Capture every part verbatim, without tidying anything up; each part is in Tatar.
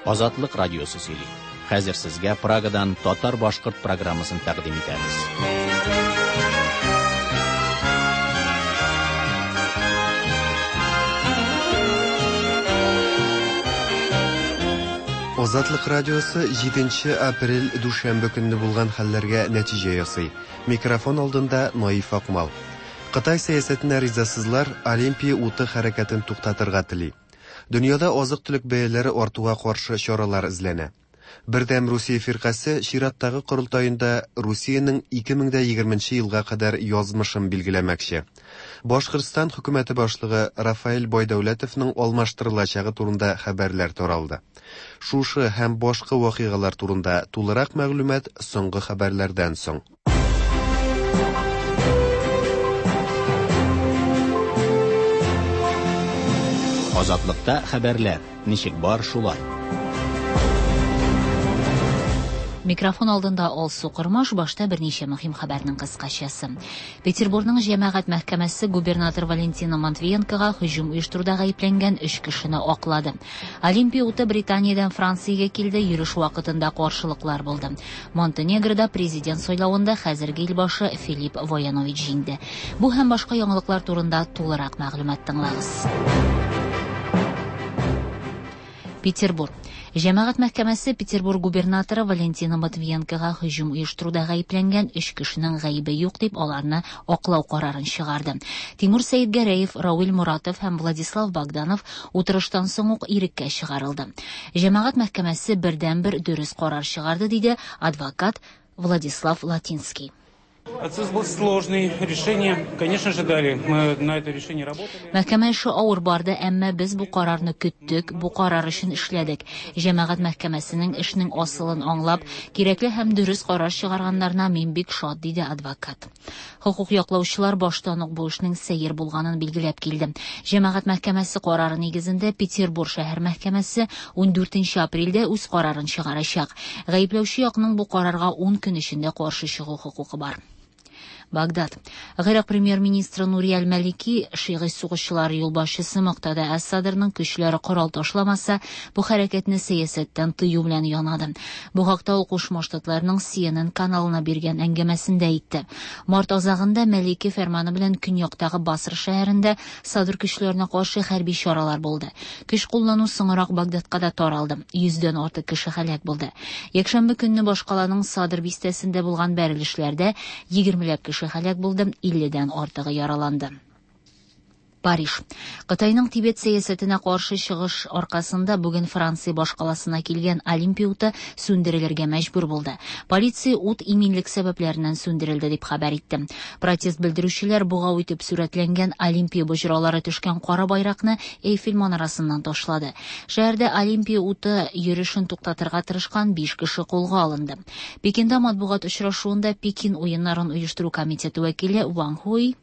Азатлык радиосы сөйли. Хәзер сезгә Прагадан татар-башкорт программасын тәкъдим итәбез. Азатлык радиосы җиденче апрель дүшәмбе көнне булган хәлләргә нәтиҗә ясый. Микрофон алдында Наиф Акмал. Кытай сәясәтенә ризасызлар Олимпия уты хәрәкәтен туктатырга тели. Дөньяда азык-төлек бәяләре артуга каршы чаралар эзләнә. Бердәм Русия фиркасе чираттагы корылтаенда Русиянең ике мең дә егерменче елга кадәр язмышын билгеләмәкче. Башкортстан хөкүмәте башлыгы Рафаэль Байдәүләтовның алмаштырылачагы турында хәбәрләр таралды. Шушы һәм башка вакыйгалар турында тулырак мәгълүмат соңгы хәбәрләрдән соң. Азатлыкта хәбәрләр ничек бар шулай. Микрофон алдында Алсу Кормаш, башта берничә мөһим хәбәрнең кыскачасы. Петербургның җәмәгать мәхкәмәсе губернатор Валентина Матвиенкога һөҗүм оештыруда гаепләнгән өч кешене аклады. Олимпия уты Британиядән Франциягә килде, йөреш вакытында каршылыклар булды. Монтенегрода президент сайлавында хәзерге илбашы Филипп Воянович җиңде. Бу һәм башка яңалыклар турында тулырак мәгълүмат тыңлагыз. Петербург. Җәмәгать мәхкәмәсе Петербург губернаторы Валентина Матвиенкога һөҗүм оештыруда гаепләнгән өч кешенең гаебе юк дип аларны аклау карарын чыгарды. Тимур Сәидгәрәев, Рауил Муратов һәм Владислав Богданов утырыштан соң ук иреккә чыгарылды. Җәмәгать мәхкәмәсе бердәнбер дөрес карар чыгарды, диде адвокат Владислав Латинский. Процесс был сложный, решение, конечно же, дали. Мы на это решение работали. Мәхкәмә эше авыр барды, әмма без бу карарны көттек, бу карар өчен эшләдек. Җәмәгать мәхкәмәсенең эшнең асылын аңлап, кирәкле һәм дөрес карар чыгарганнарына мин бик шат, диде адвокат. Хокук яклаучылар баштан ук бу эшнең сәер булганын билгеләп килде. Җәмәгать мәхкәмәсе карары нигезендә Петербург шәһәр мәхкәмәсе ундүртенче апрельдә үз карарын чыгарачак. Гаепләүче якның бу карарга ун көн эчендә каршы чыгу хокукы бар. Багдад. Гыйрак премьер-министры Нури Аль-Малики шигый сугышчылар юлбашчысы Муктада әс-Садрның көчләре корал ташламаса, бу хәрәкәтне сәясәттән тыю белән янады. Бу хакта ул Кушма Штатларның Си Эн Эн каналына биргән әңгәмәсендә әйтте. Март азагында Малики фәрманы белән көньяктагы Басра шәһәрендә Садр көчләренә каршы хәрби чаралар булды. Көч куллану соңрак Багдадка да таралды. Йөздән артык кеше һәлак булды. Якшәмбе көнне башкаланың Садр бистәсендә булган бәрелешләрдә егермеләп кеше һәлак булды, илледән артыгы яраланды. Париж. Кытайның Тибет сәясәтенә каршы чыгыш аркасында бүген Франция башкаласына килгән Олимпия уты сүндерелергә мәҗбүр булды. Полиция ут иминлек сәбәпләреннән сүндерелде дип хәбәр итте. Протест белдерүчеләр бугау итеп сурәтләнгән Олимпия боҗралары төшкән кара байракны Эйфель манарасыннан ташлады. Шәһәрдә Олимпия уты йөрешен туктатырга тырышкан биш кеше кулга алынды. Пекинда матбугат очрашуында Пекин уеннарын оештыру комитеты вәкиле Ван Хуй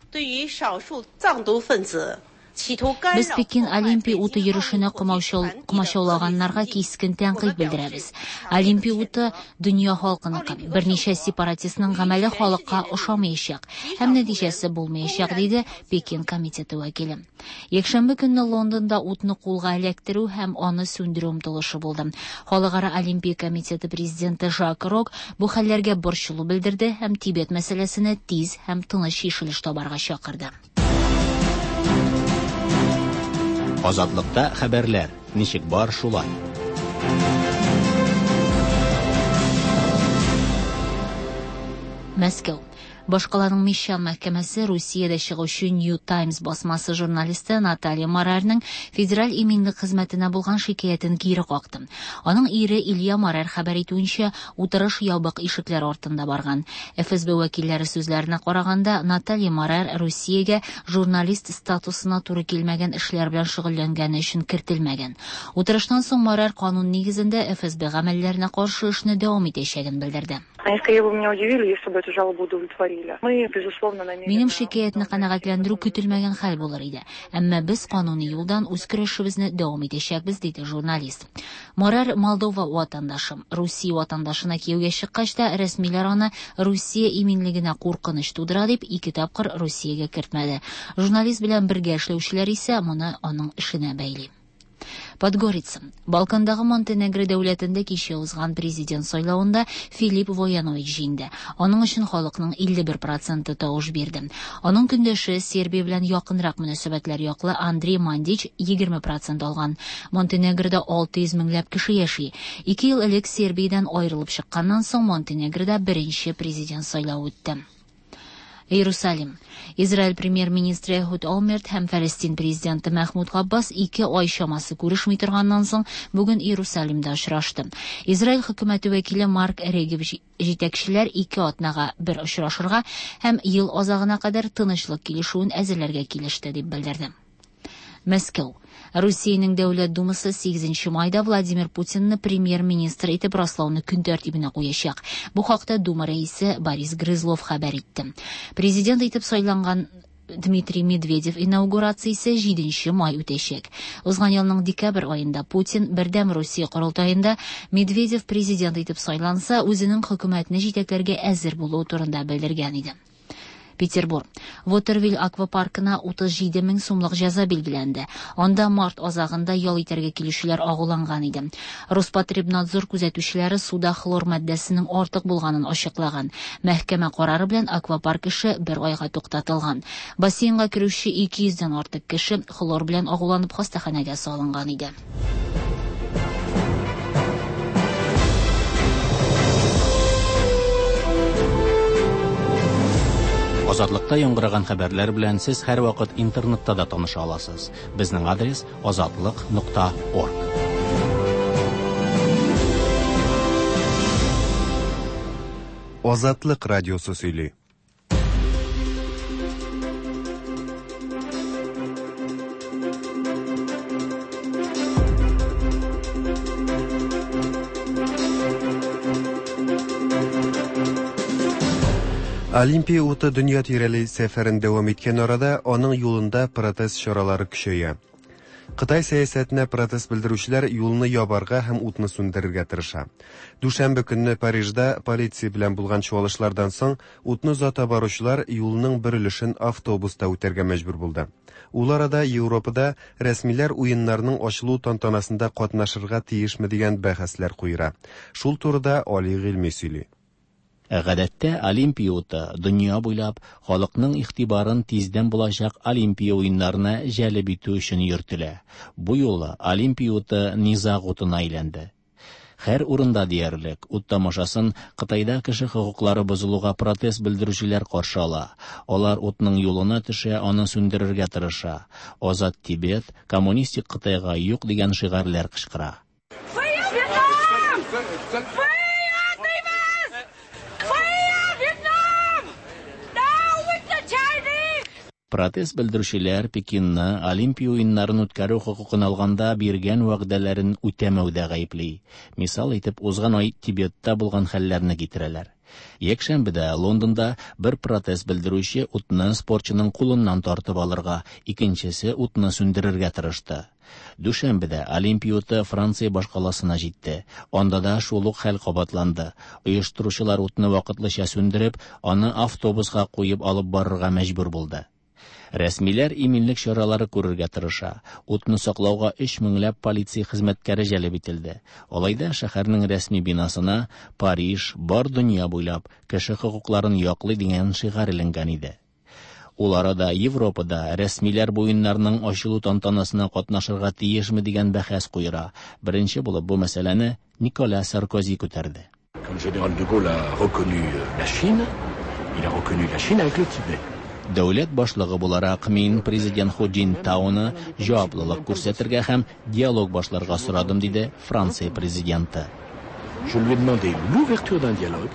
Без Пекин Олимпия уты йөрешенә комачаулаганнарга кискен тәнкыйть белдерәбез. Олимпия уты дөнья халкыныкы. Берничә сепаратистның гамәле халыкка ошамаячак һәм нәтиҗәсе булмаячак, диде Пекин комитеты вәкиле. Якшәмбе көнне Лондонда утны кулга эләктерү һәм аны сүндерү омтылышы булды. Халыкара Олимпия комитеты президенты Жак Рок бу хәлләргә борчылу белдерде һәм Тибет мәсьәләсенә тиз һәм тыныч чишелеш табарга чакырды. Азатлыкта хәбәрләр ничек бар шулай. Мәскәү. Башкаланың Мещан мәхкәмәсе Русиядә чыгучы New Times басмасы журналисты Наталья Морарның федераль иминлек хезмәтенә булган шикаятен кире какты. Аның ире Илья Морар хәбәр итүенчә, утырыш ябык ишекләр артында барган. Эф Эс Бэ вәкилләре сүзләренә караганда, Наталья Морар Русиягә журналист статусына туры килмәгән эшләр белән шөгыльләнгәне өчен кертелмәгән. Утырыштан соң Морар канун нигезендә Эф Эс Бэ гамәлләренә каршы эшне дәвам итәчәген белдерде. Они скорее бы меня удивили, если бы эту жалобу удовлетворили. Мы, безусловно, намерены Минем шикаятны канәгатьләндерү көтелмәгән хәл булыр иде. Әмма без кануни юлдан үз көрәшебезне дәвам итәчәкбез, диде журналист. Морар Молдова ватандашы. Русия ватандашына кияүгә чыккач та рәсмиләр аны Русия иминлегенә куркыныч тудыра дип ике тапкыр Русиягә кертмәде. Журналист белән бергә эшләүчеләр исә моны аның эшенә бәйли. Подгорица. Балкандагы Монтенегро дәүләтендә кичә узган президент сайлавында Филипп Воянович җиңде. Аның өчен халыкның илле бер проценты тавыш бирде. Аның көндәше Сербия белән якынрак мөнәсәбәтләр яклы Андрей Мандич егерме процент алган. Монтенегрода алты йөз меңләп кеше яши. Ике ел элек Сербиядән аерылып чыкканнан соң Монтенегрода беренче президент сайлавы үтте. Иерусалим. Израиль премьер-министры Эхуд Олмерт һәм Фәлестин президенты Мәхмүд Габбас ике ай чамасы күрешми торганнан соң бүген Иерусалимда очрашты. Израиль хөкүмәте вәкиле Марк Регев җитәкчеләр ике атнага бер очрашырга һәм ел азагына кадәр тынычлык килешүен әзерләргә килеште дип белдерде. Мәскәү. Русиянең Дәүләт Думасы сигезенче майда Владимир Путинны премьер-министр итеп раслауны көн тәртибенә куячак. Бу хакта Дума рәисе Борис Грызлов хәбәр итте. Президент итеп сайланган Дмитрий Медведев инаугурациясе җиденче май үтәчәк. Узган елның декабрь аенда Путин Бердәм Русия корылтаенда Медведев президент итеп сайланса, үзенең хөкүмәтне җитәкләргә әзер булуы турында белдергән иде. Петербург. Вотервиль аквапаркына утыз җиде мең сумлык җәза билгеләнде. Анда март азагында ял итәргә килүчеләр агуланган иде. Роспотребнадзор күзәтүчеләре суда хлор матдәсенең артык булганын ачыклаган. Мәхкәмә карары белән аквапарк эше бер айга туктатылган. Бассейнга керүче ике йөздән артык кеше хлор белән агуланып хастаханәгә салынган иде. Азатлыкта яңгыраган хәбәрләр белән сез һәрвакыт интернетта да таныша аласыз. Безнең адрес азатлык нокта орг. Азатлык радиосы сөйли. Олимпия уты дөнья тирәли сәфәрен дәвам иткән арада аның юлында протест чаралары көчәя. Кытай сәясәтенә протест белдерүчеләр юлны ябарга һәм утны сүндерергә тырыша. Дүшәмбе көнне Парижда полиция белән булган чуалышлардан соң утны озата баручылар юлның бер өлешен автобуста үтәргә мәҗбүр булды. Ул арада Европада рәсмиләр уеннарның ачылу тантанасында катнашырга тиешме дигән бәхәсләр куера. Шул турыда Али Гыйльми сөйли. Гадәттә Олимпия уты дөнья буйлап халыкның игътибарын тиздән булачак Олимпия уеннарына җәлеп итү өчен йөртелә. Бу юлы Олимпия уты низаг утына әйләнде. Һәр урында диярлек ут тамашасын Кытайда кеше хокуклары бозылуга протест белдерүчеләр каршы ала. Алар утның юлына төшә, аны сүндерергә тырыша. Азат Тибет, коммунистик Кытайга юк дигән шигарьләр кычкыра. Протест белдерүчеләр Пекинны Олимпия уеннарын үткәрү хокукын алганда биргән вәгъдәләрен үтәмәүдә гаепли. Мисал итеп узган ай Тибетта булган хәлләрне китерәләр. Якшәмбедә Лондонда бер протест белдерүче утны спортчының кулыннан тартып алырга, икенчесе утны сүндерергә тырышты. Дүшәмбедә Олимпия уты Франция башкаласына җитте. Анда да шул ук хәл кабатланды. Оештыручылар утны вакытлыча сүндереп, аны автобуска куеп алып барырга мәҗбүр булды. Рәсмиләр иминлек чаралары күрергә тырыша. Утны саклауга өч меңләп полиция хезмәткәре җәлеп ителде. Алай да шәһәрнең рәсми бинасына Париж бар дөнья буйлап кеше хокукларын яклый дигән шигарь эленгән иде. Ул арада Европада рәсмиләр бу уеннарның ачылу тантанасына катнашырга тиешме дигән бәхәс куера. Беренче булып бу мәсьәләне Никола Саркози күтәрде. Quand le général de Gaulle a reconnu la Chine, il a reconnu la Chine avec le Tibet. Дәүләт башлыгы буларак мин президент Ху Цзиньтауны җаваплылык күрсәтергә һәм диалог башларга сорадым, диде Франция президенты. Je lui ai demandé l'ouverture d'un dialogue.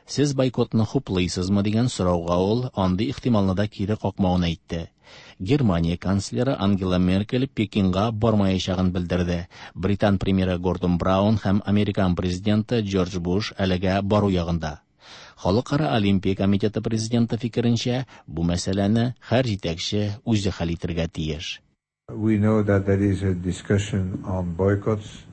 Сез бойкотны хуплыйсызмы дигән сорауга ул андый ихтималны да кире какмавын әйтте. Германия канцлеры Ангела Меркель Пекинга бармаячагын белдерде. Британ премьеры Гордон Браун һәм Американ президенты Джордж Буш әлегә бару ягында. Халыкара Олимпия комитеты президенты фикеренчә, бу мәсьәләне һәр җитәкче үзе хәл итәргә тиеш. We know that there is a discussion on boycotts.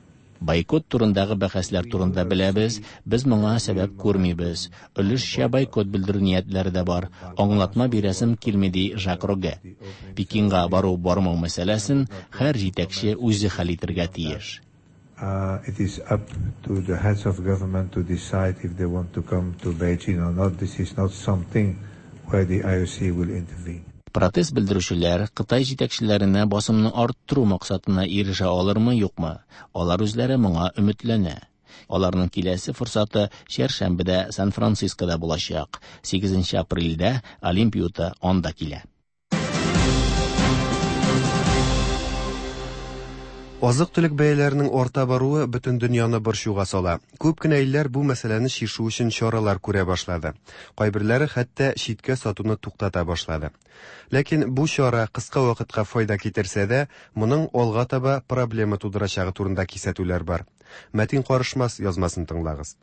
Бойкот турындагы бәхәсләр турында беләбез, без моңа сәбәп күрмибез. Өлешчә бойкот белдерү ниятләре дә бар. Аңлатма бирәсем килми, ди Жак Рогге. Пекинга бару-бармау мәсьәләсен һәр җитәкче үзе хәл итәргә тиеш. Uh, it is up to the heads of government to decide if they want to come to Beijing or not. This is not something where the I O C will intervene. Протест белдерүчеләр Кытай җитәкчеләренә басымны арттыру максатына ирешә алырмы, юкмы? Алар үзләре моңа өметләнә. Аларның киләсе форсаты чәршәмбедә Сан-Францискода булачак. сигезенче апрельдә Олимпия уты анда килә. Азык-төлек бәяләренең арта баруы бөтен дөньяны борчуга сала. Күп кенә илләр бу мәсьәләне чишү өчен чаралар күрә башлады. Кайберләре хәтта читкә сатуны туктата башлады. Ләкин бу чара кыска вакытка файда китерсә дә, моның алга таба проблема тудырачагы турында кисәтүләр бар. Мәтин Карышмас язмасын тыңлагыз.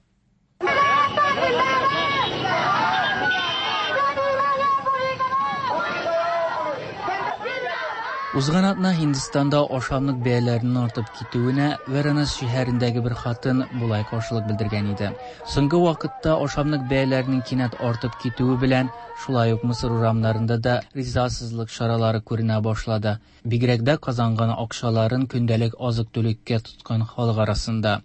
Узган атна Һиндстанда ашамлык бәяләренең артып китүенә Варанас шәһәрендәге бер хатын болай каршылык белдергән иде. Соңгы вакытта ашамлык бәяләренең кинәт артып китүе белән шулай ук Мисыр урамнарында да ризасызлык чаралары күренә башлады. Бигрәк дә казанган акчаларын көндәлек азык-төлеккә тоткан халык арасында.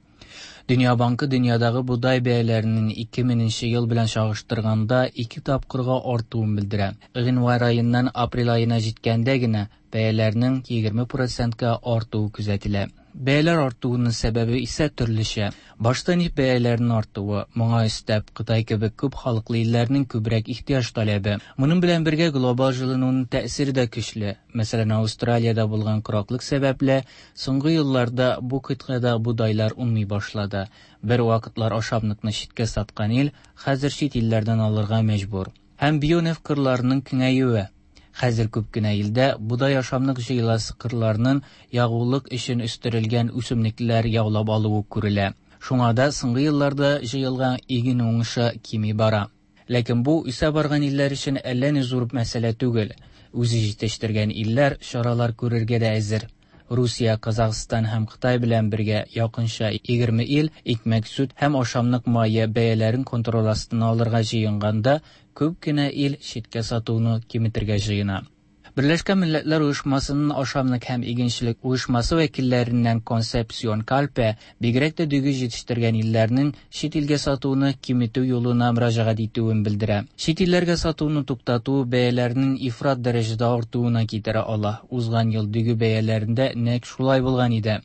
Дөнья банкы дөньядагы бодай бәяләренең ике меңенче ел белән чагыштырганда ике тапкырга артуын белдерә. Гыйнвар аеннан апрель аена җиткәндә генә бәяләрнең егерме процентка артуы күзәтелә. Бәяләр артуының сәбәбе исә төрлечә. Башта нефть бәяләренең артуы, моңа өстәп Кытай кебек күп халыклы илләрнең күбрәк ихтыяҗ таләбе. Моның белән бергә глобал җылынуның тәэсире дә көчле. Мәсәлән, Австралиядә булган кораклык сәбәпле соңгы елларда бу кыйтгада бодайлар уңмый башлады. Бер вакытлар ашамлыкны читкә саткан ил хәзер чит илләрдән алырга мәҗбүр. Һәм бионефть кырларының киңәюе. Хәзер күп кенә илдә бодай ашамлык җыеласы кырларның ягулык өчен үстерелгән үсемлекләр яулап алуы күрелә. Шуңа да соңгы елларда җыелган иген уңышы кими бара. Ләкин бу үсә барган илләр өчен әллә ни зур мәсьәлә түгел. Үзе җитештергән илләр чаралар күрергә дә әзер. Русия, Казахстан һәм Кытай белән бергә якынча егерме ил икмәк, сөт һәм ашамлык мае бәяләрен контроль астына алырга җыенганда, күп кенә ил читкә сатуны киметергә җыена. Берләшкән Милләтләр Оешмасының ашамлык һәм игенчелек оешмасы вәкилләреннән Консепсион Кальпе бигрәк тә дөге җитештергән илләрнең чит илгә сатуны киметү юлына мөрәҗәгать итүен белдерә. Чит илләргә сатуны туктату бәяләрнең ифрат дәрәҗәдә артуына китерә ала. Узган ел дөге бәяләрендә нәкъ шулай булган иде.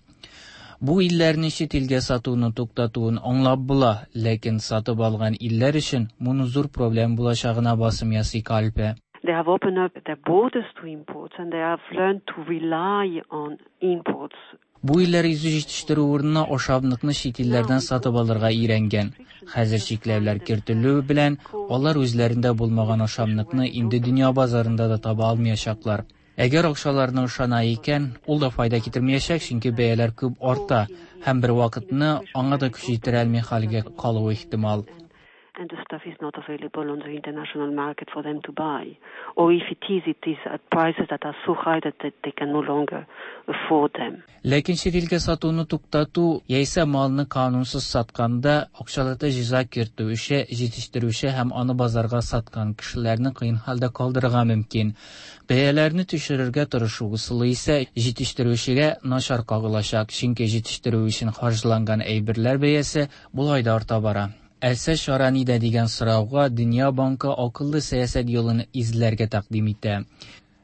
Бу илләрне чит илгә сатуны туктатуын аңлап була, ләкин сатып алган илләр өчен моны зур проблем булачагына басым ясый Кальпе. They have opened up their borders to imports and they have learned to rely on imports. Бу илләр йөзе җитештерү урынына ашамлыкны чит илләрдән сатып алырга өйрәнгән. Хәзер чикләүләр кертелү белән алар үзләрендә булмаган ашамлыкны инде дөнья базарында да таба алмаячаклар. Әгәр акчаларны ышана икән, ул да файда китермәячәк, чөнки бәяләр күп арта һәм бер вакытны аңа да көч җитерә алмый хәлгә калуы ихтимал. And the stuff is not available on the international market for them to buy. Or if it is, it is at prices that are so high that they, they can no longer afford them. Ләкин чит илгә сатуны туктату яисә малны канунсыз сатканда акчалата җәза кертү эше җитештерүче һәм аны базарга саткан кешеләрне кыен хәлдә калдырырга мөмкин. Бәяләрне төшерергә тырышу ысулы исә җитештерүчегә начар кагылачак, чөнки җитештерү өчен харҗланган әйберләр бәясе болай да арта бара. Әсә чара нидә дигән сорауга Дөнья банкы акыллы сәясәт юлын эзләргә тәкъдим итә.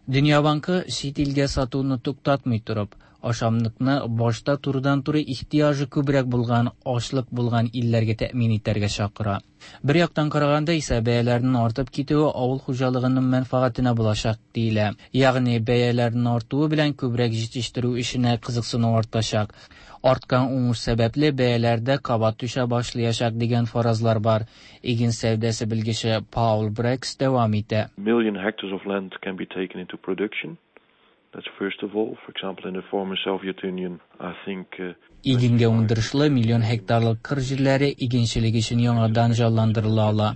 Дөнья банкы чит илгә сатуны туктатмый торып, ашамлыкны башта турыдан-туры ихтыяҗы күбрәк булган, ачлык булган илләргә тәэмин итәргә чакыра. Бер яктан караганда исә бәяләрнең артып китүе авыл хуҗалыгының мәнфәгатенә булачак диелә. Ягъни бәяләрнең артуы белән күбрәк җитештерү эшенә кызыксыну артачак. Арткан уңыш сәбәпле бәяләрдә кабат төшә башлаячак дигән фаразлар бар. Иген сәүдәсе белгече Паул Брекс дәвам итә. Million hectares of land can be taken into production. That's first of all, for example, in the former Soviet Union, I think, uh, Игенгә уңдырышлы миллион гектарлык кыр җирләре игенчелек өчен яңадан җанландырыла ала.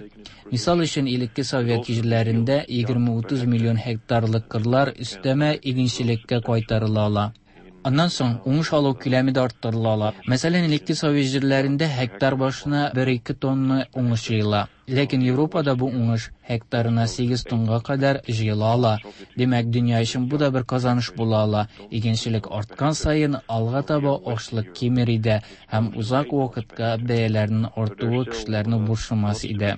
Мисал өчен, элекке Совет җирләрендә егерме утыз миллион гектарлык кырлар өстәмә игенчелеккә кайтарыла ала. Аннан соң уңыш алу күләме дә арттырыла ала. Мәсәлән, элекке совет җирләрендә һектар башына бер-ике тонна уңыш җыела. Ләкин Европада бу уңыш һектарына сигез тонга кадәр җыела ала. Димәк, дөнья өчен бу да бер казаныш була ала. Игенчелек арткан саен алга таба ашлык кимер иде һәм узак вакытка бәяләрнең артуы кешеләрне борчымас иде.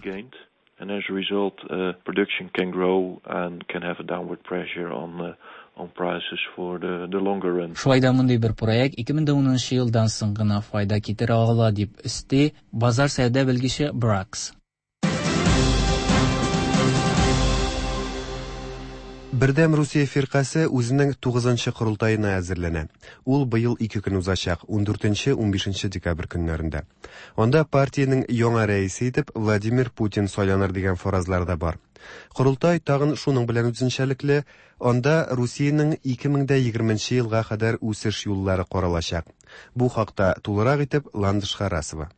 And as a result, uh, production can grow and can have a downward pressure on uh, on prices for the, the longer run. Шулай да мондый бер проект ике мең унынчы елдан соң гына файда китерә ала, дип өсти базар сәүдә белгече Бракс. Бердәм Русия фиркасе үзенең тугызынчы корылтаена әзерләнә. Ул быел ике көн узачак, ундүртенче, унбишенче декабрь көннәрендә. Анда партиянең яңа рәисе итеп Владимир Путин сайланыр дигән фаразлар да бар. Корылтай тагын шуның белән үзенчәлекле, анда Русиянең ике мең дә егерменче елга кадәр үсеш юллары каралачак. Бу хакта тулырак итеп Ландыш Харасова.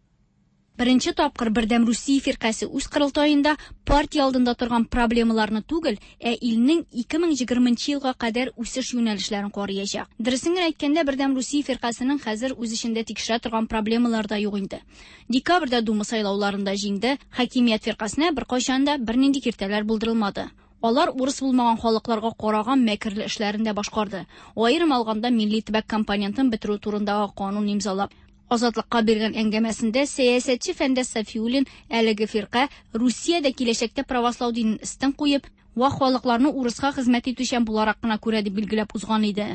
Беренче тапкыр Бердәм Русия фиркасе үз корылтаенда партия алдында торган проблемаларны түгел, ә илнең ике мең егерменче елга кадәр үсеш юнәлешләрен караячак. Дөресен генә әйткәндә, Бердәм Русия фиркасының хәзер үз эчендә тикшерә торган проблемалар да юк инде. Декабрьдә Дума сайлауларында җиңде, хакимият фиркасына беркайчан да бернинди киртәләр булдырылмады. Алар урыс булмаган халыкларга караган мәкерле эшләрен дә башкарды. Аерым алганда милли төбәк компонентын бетерү турындагы канун имзалап, Азатлыкка биргән әңгәмәсендә сәясәтче Фәндәс Сафиуллин әлеге фирка Русиядә киләчәктә правослау динен өстен куеп, вак халыкларны урыска хезмәт итүчән буларак кына күрә дип билгеләп узган иде.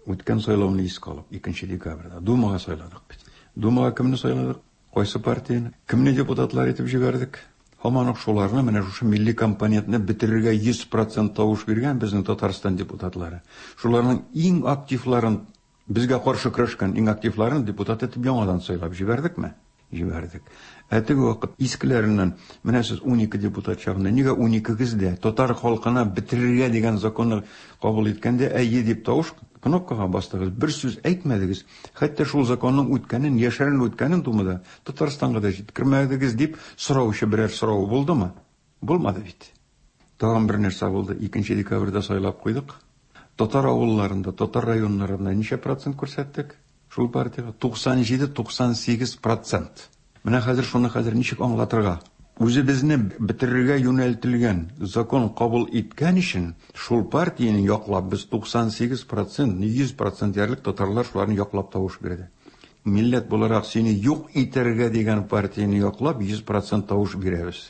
Үткән сайлауны искә алып, икенче декабрьдә Думага сайладык бит. Думага кемне сайладык? Кайсы партияне? Кемне депутатлар итеп җибәрдек? Һаман ук шуларны, менә шушы милли компонентны бетерергә йөз процент тавыш биргән безнең Татарстан депутатлары. Шуларның иң активларын, безгә каршы көрәшкән иң активларын депутат итеп яңадан сайлап җибәрдекме? Җибәрдек. Ә теге вакыт искеләреннән, менә сез унике депутат чагында нигә уникегез дә татар халкына бетерергә дигән законны кабул иткәндә әйе дип тавыш кнопкага бастыгыз, бер сүз әйтмәдегез, хәтта шул законның үткәнен, яшерен үткәнен Думада Татарстанга да җиткермәдегез дип сораучы берәр сорау булдымы? Булмады бит. Тагын бер нәрсә булды. Икенче декабрьдә сайлап куйдык. Татар авылларында, татар районнарында ничә процент күрсәттек? Шул партияга туксан җиде, туксан сигез процент. Менә хәзер шуны хәзер ничек аңлатырга? Үзебезне бетерергә юнәлтелгән закон кабул иткән өчен шул партияне яклап без туксан сигез процент, йөз процент диярлек татарлар шуларны яклап тавыш бирде. Милләт буларак сине юк итәргә дигән партияне яклап йөз процент тавыш бирәбез.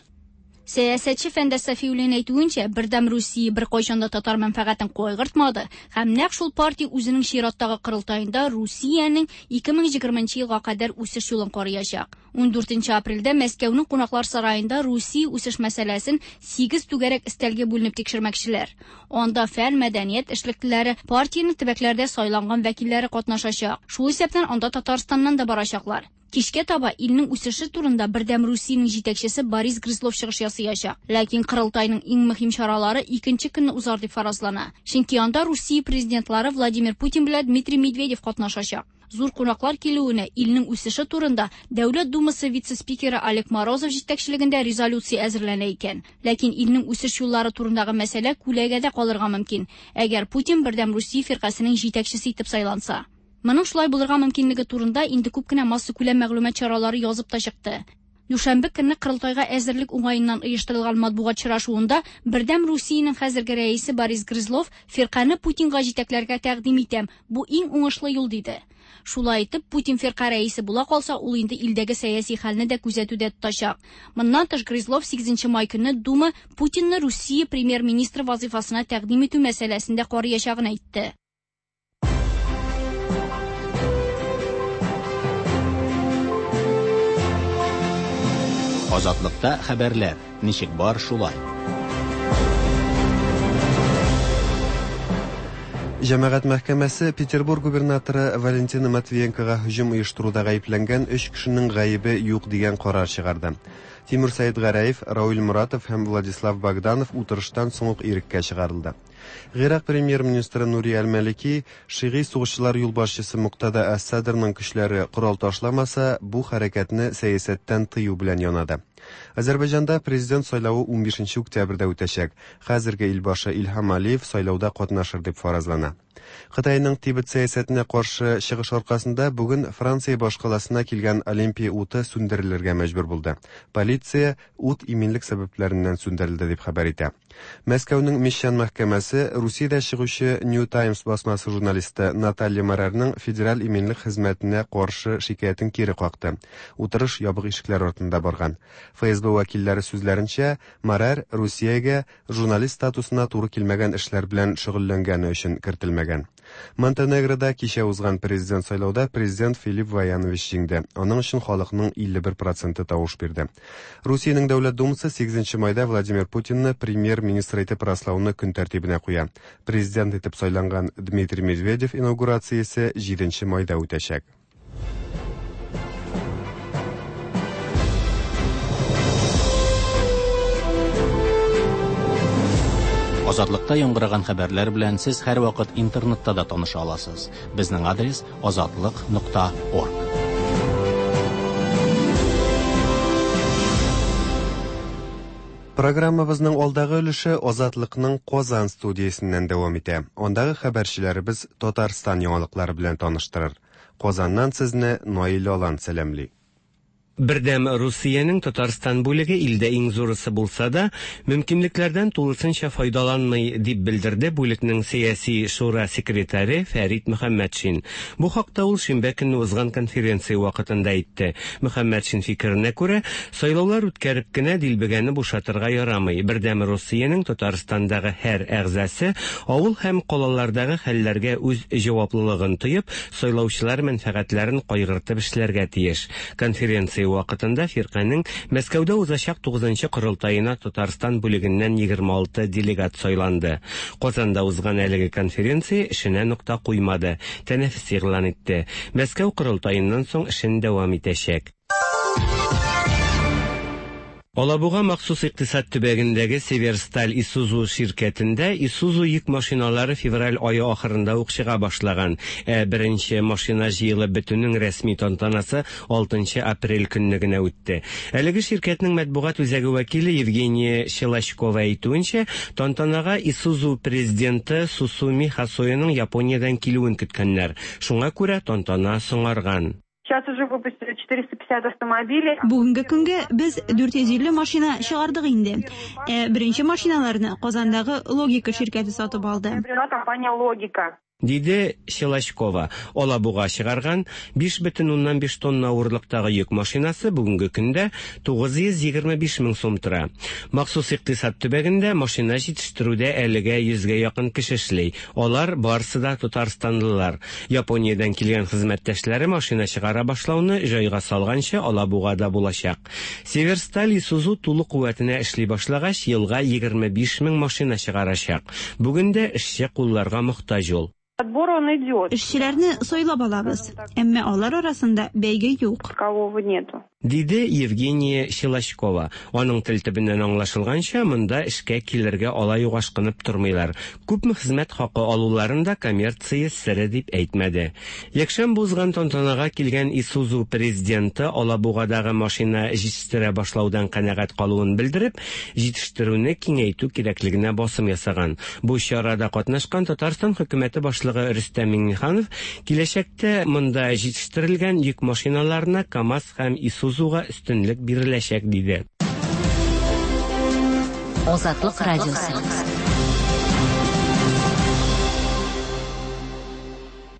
Сәясәтче Фәндәс Сафиуллин әйтүенчә, Бердәм Русия беркайчан да татар мәнфәгатен кайгыртмады һәм нәкъ шул партия үзенең чираттагы корылтаенда Русиянең ике мең егерменче елга кадәр үсеш юлын караячак. Ундүртенче апрельдә Мәскәүнең кунаклар сараенда Русия үсеш мәсьәләсен сигез түгәрәк өстәлгә бүленеп тикшермәкчеләр. Анда фән, мәдәният эшлеклеләре, партиянең төбәкләрдә сайланган вәкилләре катнашачак. Шул исәптән анда Татарстаннан да барачаклар. Кичкә таба илнең үсеше турында Бердәм Русиянең җитәкчесе Борис Грызлов чыгыш ясаячак. Ләкин корылтайның иң мөһим чаралары икенче көнне узар дип фаразлана. Чөнки анда Русия президентлары Владимир Путин белән Дмитрий Медведев катнашачак. Зур кунаклар килүенә илнең үсеше турында Дәүләт Думасы вице-спикеры Олег Морозов җитәкчелегендә резолюция әзерләнә икән. Ләкин илнең үсеш юллары турындагы мәсьәлә күләгәдә калырга мөмкин, әгәр Путин Бердәм Русия фиркасының җитәкчесе итеп сайланса. Моның шулай булырга мөмкинлеге турында инде күп кенә массакүләм мәгълүмат чаралары язып та чыкты. Дүшәмбе көнне корылтайга әзерлек уңаеннан оештырылган матбугат чарашуында Бердәм Русиянең хәзерге рәисе Борис Грызлов фирканы Путинга җитәкләргә тәкъдим итәм, бу иң уңышлы юл диде. Шулай итеп, Путин фирка рәисе була калса, ул инде илдәге сәяси хәлне дә күзәтүдә тотачак. Моннан тыш Грызлов сигезенче май көнне Дума Путинны Русия премьер-министры вазифасына тәкъдим итү мәсьәләсендә караячагын әйтте. Азатлыкта хәбәрләр ничек бар шулай. Җәмәгать мәхкәмәсе Петербург губернаторы Валентина Матвиенкога һөҗүм оештыруда гаепләнгән өч кешенең гаебе юк дигән карар чыгарды. Тимур Сәидгәрәев, Рауль Муратов һәм Владислав Богданов утырыштан соң ук иреккә чыгарылды. Гыйрак премьер-министры Нури Аль-Малики шигый сугышчылар юлбашчысы Муктада Әс-Садрның көчләре корал ташламаса, бу хәрәкәтне сәясәттән тыю белән янады. Азәрбайҗанда президент сайлавы унбишенче октябрьдә үтәчәк. Хәзерге илбашы Илһам Алиев сайлауда катнашыр дип фаразлана. Кытайның Тибет сәясәтенә каршы чыгыш аркасында бүген Франция башкаласына килгән Олимпия уты сүндерелергә мәҗбүр булды. Полиция ут иминлек сәбәпләреннән сүндерелде дип хәбәр итә. Мәскәүнең Мещан мәхкәмәсе Русиядә чыгучы New Times басмасы журналисты Наталья Марарның федераль иминлек хезмәтенә каршы шикаятен кире какты. Утырыш ябык ишекләр артында барган. Эф Эс Бэ вәкилләре сүзләренчә, Марар Русиягә журналист статусына туры килмәгән эшләр белән шөгыльләнгәне өчен кертелмәгән. Монтенегрода кичә узган президент сайлауда президент Филипп Ваянович җиңде. Аның өчен халыкның илле бер проценты тавыш бирде. Русиянең Дәүләт Думасы сигезенче майда Владимир Путинны премьер-министр итеп раслауны көн тәртибенә куя. Президент итеп сайланган Дмитрий Медведев инаугурациясе җиденче майда үтәчәк. Азатлыкта яңгыраган хәбәрләр белән сез һәрвакыт интернетта да таныша аласыз. Безнең адрес азатлык нокта орг. Программабызның алдагы өлеше Азатлыкның Казан студиясеннән дәвам итә. Андагы хәбәрчеләребез Татарстан яңалыклары белән таныштырыр. Казаннан сезне Наил Алан сәламли. Бердәм Русиянең Татарстан бүлеге илдә иң зурысы булса да, мөмкинлекләрдән тулысынча файдаланмый, дип белдерде бүлекнең сәяси шура секретаре Фәрит Мөхәммәтшин. Бу хакта ул шимбә көнне узган конференция вакытында әйтте. Мөхәммәтшин фикеренә күрә, сайлаулар үткәреп кенә дилбегәне бушатырга ярамый. Бердәм Русиянең Татарстандагы һәр әгъзасы авыл һәм калалардагы хәлләргә үз җаваплылыгын тоеп, сайлаучылар мәнфәгатьләрен кайгыртып эшләргә тиеш. Конференция вакытында фирканең Мәскәүдә узачак тугызынчы корылтаена Татарстан бүлегеннән егерме алты делегат сайланды. Казанда узган әлеге конференция эшенә нокта куймады, тәнәфес игълан итте. Мәскәү корылтаеннан соң эшен дәвам итәчәк. Алабуга махсус икътисад төбәгендәге Северсталь Исузу ширкәтендә Исузу йөк машиналары февраль ае ахырында ук чыга башлаган. Ә беренче машина җыелып бетүнең рәсми тантанасы алтынчы апрель көнне генә үтте. Әлеге ширкәтнең матбугат үзәге вәкиле Евгения Щелочкова әйтүенчә, тантанага Исузу президенты Сусуми Хасояның Япониядән килүен көткәннәр. Шуңа күрә тантана соңарган. Сейчас уже выпустили четыреста пятьдесят автомобилей. Бүгенге көнгә без дүрт йөз илле машина чыгардык инде. Ә беренче машиналарны Казандагы Логика ширкәте сатып алды. Приобрела компания Логика. Диде Щелочкова. Алабуга чыгарган биш бөтен уннан биш тонна авырлыктагы йөк машинасы бүгенге көндә тугыз йөз егерме биш мең сум тора. Махсус икътисад төбәгендә машина җитештерүдә әлегә йөзгә якын кеше эшли. Алар барысы да татарстанлылар. Япониядән килгән хезмәттәшләре машина чыгара башлауны җайга салганчы Алабугада булачак. Северсталь Исузу тулы куәтенә эшли башлагач, елга егерме биш мең машина чыгарачак. Бүген дә эшче кулларга мохтаҗ ул. Отбор он идет. Эшчеләрне сайлап алабыз, әмма алар арасында бәйге юк. Такового нету. Диде Евгения Щелочкова. Аның тел төбеннән аңлашылганча, монда эшкә килергә алай ук ашкынып тормыйлар. Күпме хезмәт хакы алуларын да коммерция сере дип әйтмәде. Якшәмбе узган тантанага килгән Исузу президенты Алабугадагы машина җитештерә башлаудан канәгать калуын белдереп, җитештерүне киңәйтү кирәклегенә басым ясаган. Бу чарада катнашкан Татарстан хөкүмәте башлыгы Рөстәм Миңнеханов киләчәктә монда җитештерелгән йөк машиналарына КАМАЗ һәм Исузуга өстенлек биреләчәк, диде. Азатлык радиосы.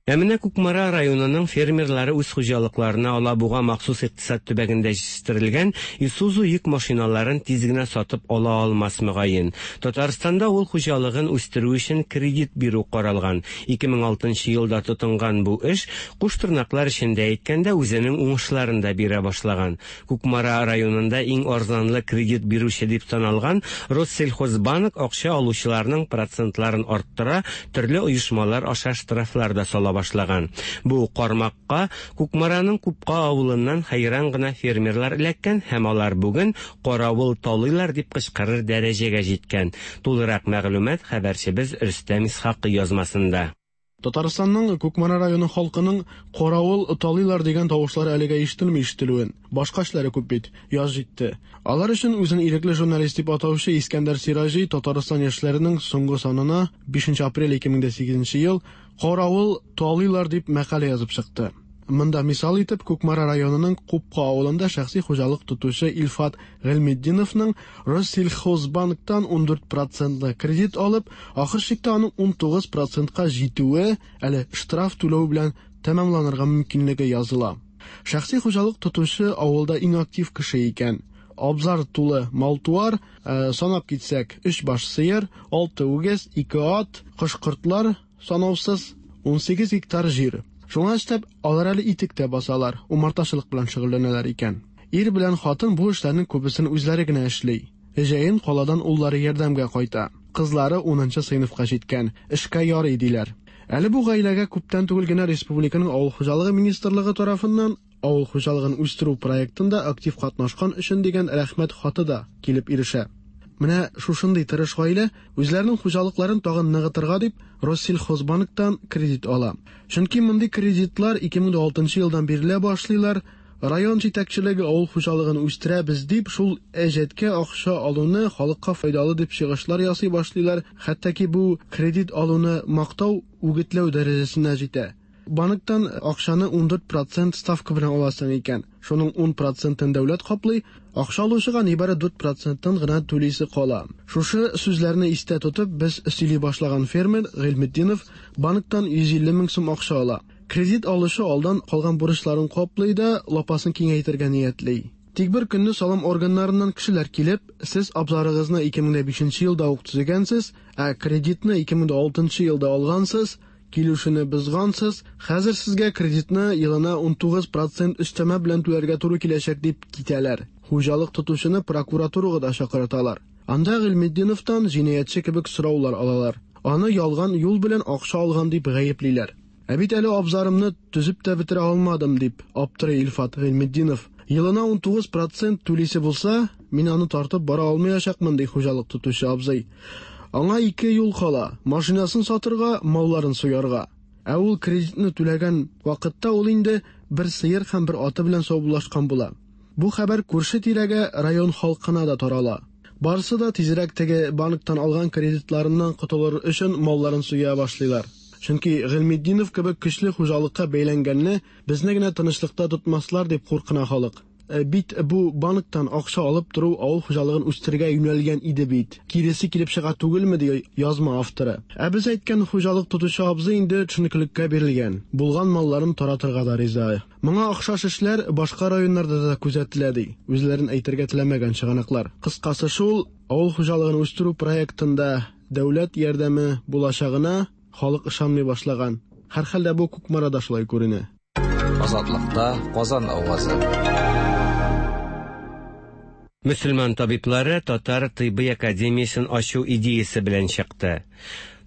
Ә менә Кукмара районының фермерлары үз хуҗалыкларына Алабуга махсус икътисад төбәгендә җитештерелгән Исузу йөк машиналарын тиз генә сатып ала алмас мөгаен. Татарстанда ул хуҗалыгын үстерү өчен кредит бирү каралган. ике мең алтынчы елда тотынган бу эш, куш тырнаклар эчендә әйткәндә, үзенең уңышларын да бирә башлаган. Кукмара районында иң арзанлы кредит бирүче дип саналган Россельхозбанк акча алучыларның процентларын арттыра, төрле оешмалар аша штрафлар да сала башлаган. Бу кармакка Кукмараның Купка авылыннан хәйран гына фермерлар эләккән һәм алар бүген каравыл талыйлар дип кычкырыр дәрәҗәгә җиткән. Тулырак мәгълүмат хәбәрчебез Рөстәм Исхакый язмасында. Татарстанның Кукмара районы халкының каравыл талыйлар дигән тавышлары әлегә ишетелми ишетелүен. Башка эшләре күп бит, яз җитте. Алар өчен үзен ирекле журналист дип атаучы Искәндәр Сираҗи Татарстан яшьләренең соңгы санына бишенче апрель ике мең дә сигезенче ел Каравыл талыйлар дип мәкалә язып чыкты. Монда мисал итеп Кукмара районының Купка авылында шәхси хуҗалык тотучы Илфат Гыйльметдиновның Россельхозбанктан ун дүрт процентлы кредит алып, ахыр чиктә аның ун тугыз процентка җитүе әле штраф түләү белән тәмамланырга мөмкинлеге языла. Шәхси хуҗалык тотучы авылда иң актив кеше икән. Абзар тулы мал-туар, санап китсәк, өч баш сыер, алты үгез, ике ат, кош-кортлар санаусыз, ун сигез гектар җир. Шуңа өстәп, алар әле итек тә басалар, умартачылык белән шөгыльләнәләр икән. Ир белән хатын бу эшләрнең күбесен үзләре генә эшли. Җәен каладан уллары ярдәмгә кайта. Кызлары унынчы сыйныфка җиткән, эшкә ярый диләр. Әле бу гаиләгә күптән түгел генә республиканың авыл хуҗалыгы министрлыгы тарафыннан авыл хуҗалыгын үстерү проектында актив катнашкан өчен дигән рәхмәт хаты да килеп ирешә. Менә шушындый тырыш гаилә үзләренең хуҗалыкларын тагын ныгытырга дип Россельхозбанктан кредит ала. Чөнки мондый кредитлар ике мең алтынчы елдан бирелә башлыйлар. Район җитәкчелеге авыл хуҗалыгын үстерәбез дип шул әҗәткә акча алуны халыкка файдалы дип чыгышлар ясый башлыйлар. Хәтта ки бу кредит алуны мактау, үгетләү дәрәҗәсенә җитә. Банктан акчаны ун дүрт процент ставка белән аласың икән. Шуның ун процентын дәүләт каплый, акча алучыга нибары дүрт проценттан гына түлисе кала. Шушы сүзләрне истә тотып, без сөйли башлаган фермер Гыйльметдинов банктан йөз илле мең сум акча ала. Кредит алучы алдан калган бурычларын каплый да, лапасын киңәйтергә ниятли. Тик бер көнне салым органнарыннан кешеләр килеп, сез абзарыгызны ике мең бишенче елда ук төзегәнсез, ә кредитны ике мең алтынчы елда алгансыз, килүшене бозгансыз, хәзер сезгә кредитны елына ун тугыз процент өстәмә белән түләргә туры киләчәк дип китәләр. Хуҗалык тотучыны прокуратурага да чакырталар. Анда Гыйльметдиновтан җинаятьче кебек сораулар алалар. Аны ялган юл белән акча алган дип гаеплиләр. Ә бит әле абзарымны төзеп тә бетерә алмадым дип аптырый Илфат Гыйльметдинов. Елына ун тугыз процент түлисе булса, мин аны тартып бара алмаячакмын ди хуҗалык тотучы абзый. Аңа ике юл кала: машинасын сатырга, малларын суярга. Ә ул кредитны түләгән вакытта ул инде бер сыер һәм бер аты белән саубуллашкан була. Бу хәбәр күрше тирәгә, район халкына да тарала. Барысы да тизрәк теге банктан алган кредитларыннан котылыр өчен малларын суя башлыйлар. Чөнки Гыйльметдинов кебек көчле хуҗалыкка бәйләнгәнне безне генә тынычлыкта тотмаслар дип куркына халык. Бит бу банктан акча алып тору авыл хуҗалыгын үстерергә юнәлгән иде бит. Киресе килеп чыга түгелме ди язма авторы. Ә без әйткән хуҗалык тотучы абзый инде төшенкелеккә бирелгән. Булган малларын таратырга да риза. Моңа охшаш эшләр башка районнарда да күзәтелә ди. Үзләрен әйтергә теләмәгән чыганаклар. Кыскасы шул, авыл хуҗалыгын үстерү проектында дәүләт ярдәме булачагына халык ышанмый башлаган. Һәрхәлдә бу Кукмарада шулай күренә. Азатлыкта Казан авазы. Мөселман табиблары Татар тыйбый академиясен ачу идеясы белән чыкты.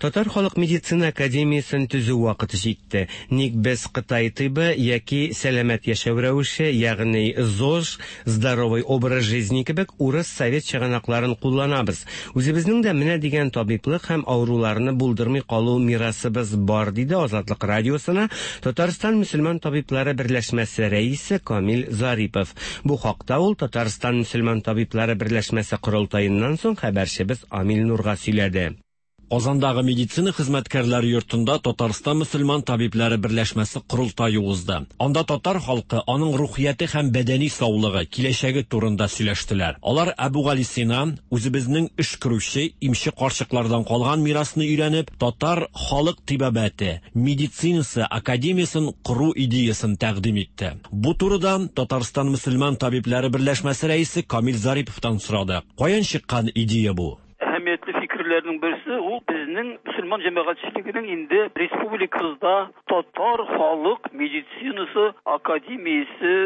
Татар халык медицина академиясен төзү вакыты җитте. Ник без Кытай тыйбы яки сәламәт яшәү рәвеше, ягъни ЗОЖ, здоровый образ жизни кебек урыс совет чыганакларын кулланабыз. Үзебезнең дә менә дигән табиблык һәм авыруларны булдырмый калу мирасыбыз бар, диде Азатлык радиосына Татарстан мөселман табиблары берләшмәсе рәисе Камил Зарипов. Бу хакта ул Татарстан мөселман табиблары берләшмәсе корылтаеннан соң хәбәрчебез Амил Нурга сөйләде. Казандагы медицина хезмәткәрләре йортында Татарстан мөселман табиблары берләшмәсе корылтае узды. Анда татар халкы, аның рухияте һәм бәдәни саулыгы, киләчәге турында сөйләштеләр. Алар Әбүгалисина, үзебезнең өшкерүче, имче карчыклардан калган мирасны өйрәнеп, татар халык тибабәте, медицинасы академиясын кору идеясын тәкъдим итте. Бу турыда Татарстан мөселман табиблары берләшмәсе рәисе Камил Зариповтан сорады. Каян чыккан идея бу? Әһәмиятле фикерләрнең берсе ул безнең мөселман җәмәгатьчелегенең инде республикабызда татар халык медицинасы академиясе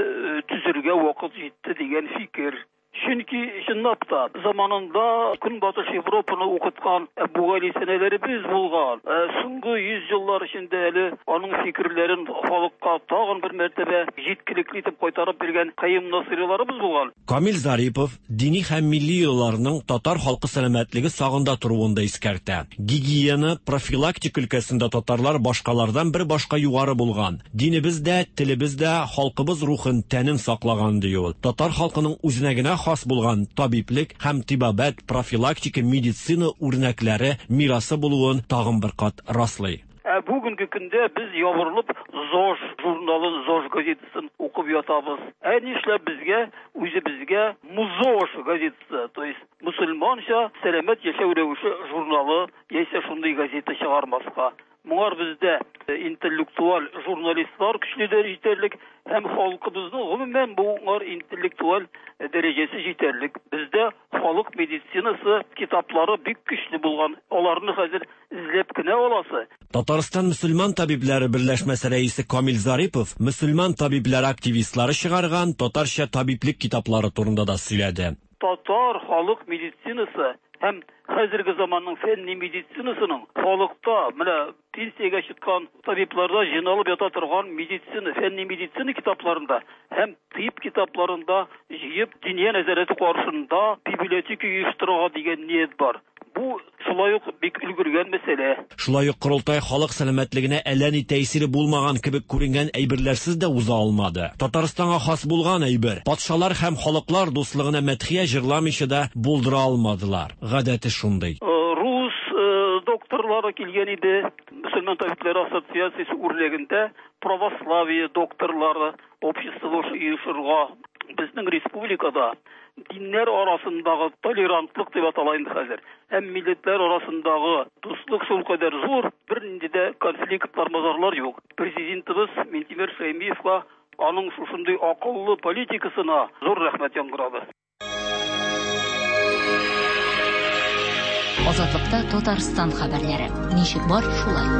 төзергә вакыт җитте дигән фикер. Чөнки чынлап та заманында Көнбатыш Европаны укыткан Әбүгалисинәләребез булган. Соңгы йөз еллар эчендә әле аның фикерләрен халыкка тагын бер мәртәбә җиткелекле итеп кайтарып биргән Каюм Насыйриларыбыз булган. Камил Зарипов дини һәм милли йолаларның татар халкы сәламәтлеге сагында торуын да искәртә. Гигиена, профилактика өлкәсендә татарлар башкалардан бер башка югары булган. Динебез дә, телебез дә халкыбыз рухын, тәнен саклаган ди ул. Татар халкының үзенә генә хас булган табиблек һәм тибабәт, профилактика, медицина үрнәкләре мирасы булуын тагын бер кат раслый. Ә бүгенге көндә без ябырылып ЗОЖ журналын, ЗОЖ газетасын укып ятабыз. Ә нишләп безгә үзебезгә МУЗОЖ газетасы, то есть мусульманча сәламәт яшәү рәвеше журналы яисә шундый газета чыгармаска? Моңар бездә интеллектуаль журналистлар көчле җитәрлек һәм халкыбызның гомумән моңар интеллектуаль дәрәҗәсе җитәрлек. Бездә халык медицинасы китаплары бик көчле булган. Аларны хәзер эзләп кенә аласы. Татарстан мөселман табибләре берләшмәсе рәисе Камил Зарипов мөселман табибләре активистлары чыгарган татарча табиблек китаплары турында да сөйләде. Татар халык медицинасы һәм хәзерге заманның фәнни медицинасының халыкта менә пенсиягә чыккан табибларда җыйналып ята торган медицина, фәнни медицина китапларында һәм тиб китапларында җыеп Диния нәзарәте каршында библиотека оештырырга дигән ният бар. Бу шулай ук бик өлгергән мәсьәлә. Шулай ук корылтай халык сәламәтлегенә әллә ни тәэсире булмаган кебек күренгән әйберләрсез дә уза алмады. Татарстанга хас булган әйбер, патшалар һәм халыклар дуслыгына мәдхия җырламыйча да булдыра алмадылар. Гадәте шундый. Рус докторлары килгән иде. Мөселман табибләре ассоциациясе үрнәгендә православие докторлары обществосы оешырга. Безнең республикада диннәр арасындагы толерантлык дип атала инде хәзер. Һәм милләтләр арасындагы дуслык шулкадәр зур, бернинди дә конфликтлар, мазарлар юк. Президентыбыз Минтимер Шәймиевка аның шушындый акыллы политикасына зур рәхмәт яңгырады. Азатлыкта Татарстан хәбәрләре. Ничек бар, шулай.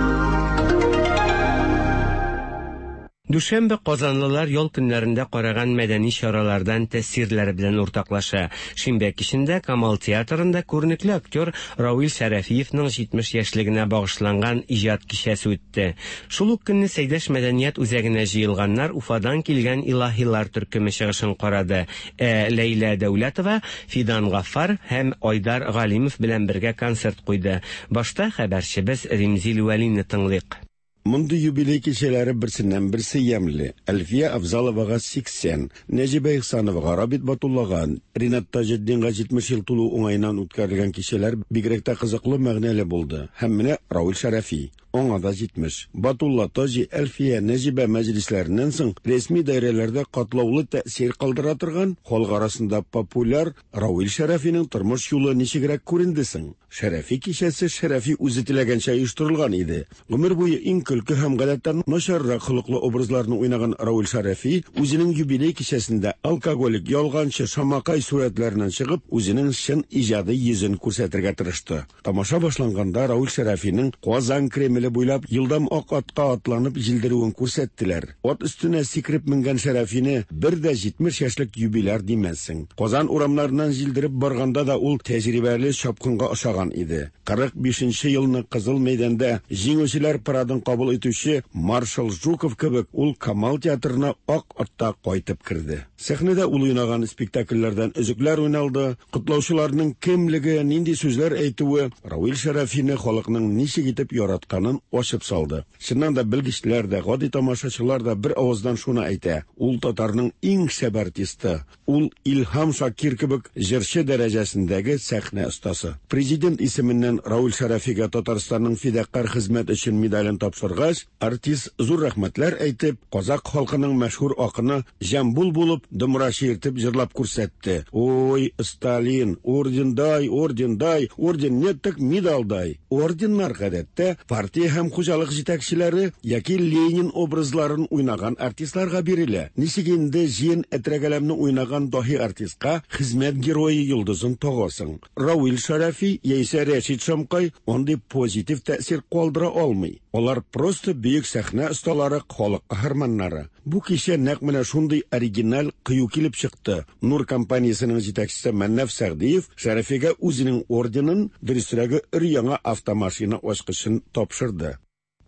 Дүшәмбе казанлылар ял көннәрендә караган мәдәни чаралардан тәэсирләре белән уртаклаша. Шимбә кичендә Камал театрында күренекле актер Равил Шәрәфиевның җитмеш яшьлегенә багышланган иҗат кичәсе үтте. Шул ук көнне Сәйдәш мәдәният үзәгенә җыелганнар Уфадан килгән илаһилар төркеме чыгышын карады. Ә Ләйлә Дәүләтова Фидан Гаффар һәм Айдар Галимов белән бергә концерт куйды. Башта хәбәрчебез Римзил Вәлине тыңлыйк. Мондый юбилей кичәләре берсеннән берсе ямьле. Әлфия Авзаловага сиксән, Нәҗибә Ихсановага, Рабит Батуллага, Ринат Таҗетдинга җитмеш ел тулу уңаеннан үткәрелгән кичәләр бигрәк тә кызыклы, мәгънәле булды. Һәм менә Равил Шәрәфи, аңа да җитмеш. Батулла, Таҗи, Әлфия, Нәҗибә мәҗлесләреннән соң рәсми даирәләрдә катлаулы тәэсир калдыра торган, халык арасында популяр Равил Шәрәфинең тормыш юлы ничегрәк күренде соң? Шәрәфи кичәсе Шәрәфи үзе теләгәнчә оештырылган иде. Гомер буе иң көлке һәм гадәттән начаррак холыклы образларны уйнаган Равил Шәрәфи үзенең юбилей кичәсендә алкоголик, ялганчы, шамакай сурәтләреннән чыгып, үзенең чын иҗади йөзен күрсәтергә тырышты. Тамаша башланганда Равил Шәрәфинең Казан Кремле буйлап елдам ак атка атланып җилдерүен күрсәттеләр. Ат өстенә сикереп менгән Шәрәфине бер дә җитмеш яшьлек юбиляр димәссең. Казан урамнарыннан җилдереп барганда да ул тәҗрибәле чапкынга ошаган иде. Кырык бишенче елны Кызыл мәйданда җиңүчеләр парадын кабул итүче маршал Жуков кебек ул Камал театрына ак атта кайтып керде. Сәхнәдә ул уйнаган спектакльләрдән өзекләр уйналды. Котлаучыларның кемлеге, нинди сүзләр әйтүе Равил Шәрәфине халыкның ничек итеп яратканын ачып салды. Чыннан да белгечләр дә, гади тамашачылар да бер авыздан шуны әйтә: ул татарның иң шәп артисты, ул Илһам Шакир кебек җырчы дәрәҗәсендәге сәхнә остасы. Президент исеменнән Равил Шәрәфигә Татарстанның фидакарь хезмәт өчен медален тапшыргач, артист зур рәхмәтләр әйтеп, казак халкының мәшһүр акыны Җамбул булып домра чиертеп җырлап күрсәтте. Ой, Сталин, орден дай, орден дай, орден нет, так медаль дай. Орденнар гадәттә партия һәм хуҗалык җитәкчеләре яки Ленин образларын уйнаган артистларга бирелә. Ничек инде җыен әтрәгәләмне уйнаган даһи артистка хезмәт герое йолдызын тагасың? Равил Шәрәфи яисә Рәшит Шамкай андый позитив тәэсир калдыра алмый. Алар просто бөек сәхнә осталары, халык каһарманнары. Бу кичә нәкъ менә шундый оригиналь кыю килеп чыкты. Нур компаниясенең җитәкчесе Мәннәф Сәгъдиев Шәрәфигә үзенең орденын, дөресрәге, өр-яңа автомашина ачкычын тапшырды.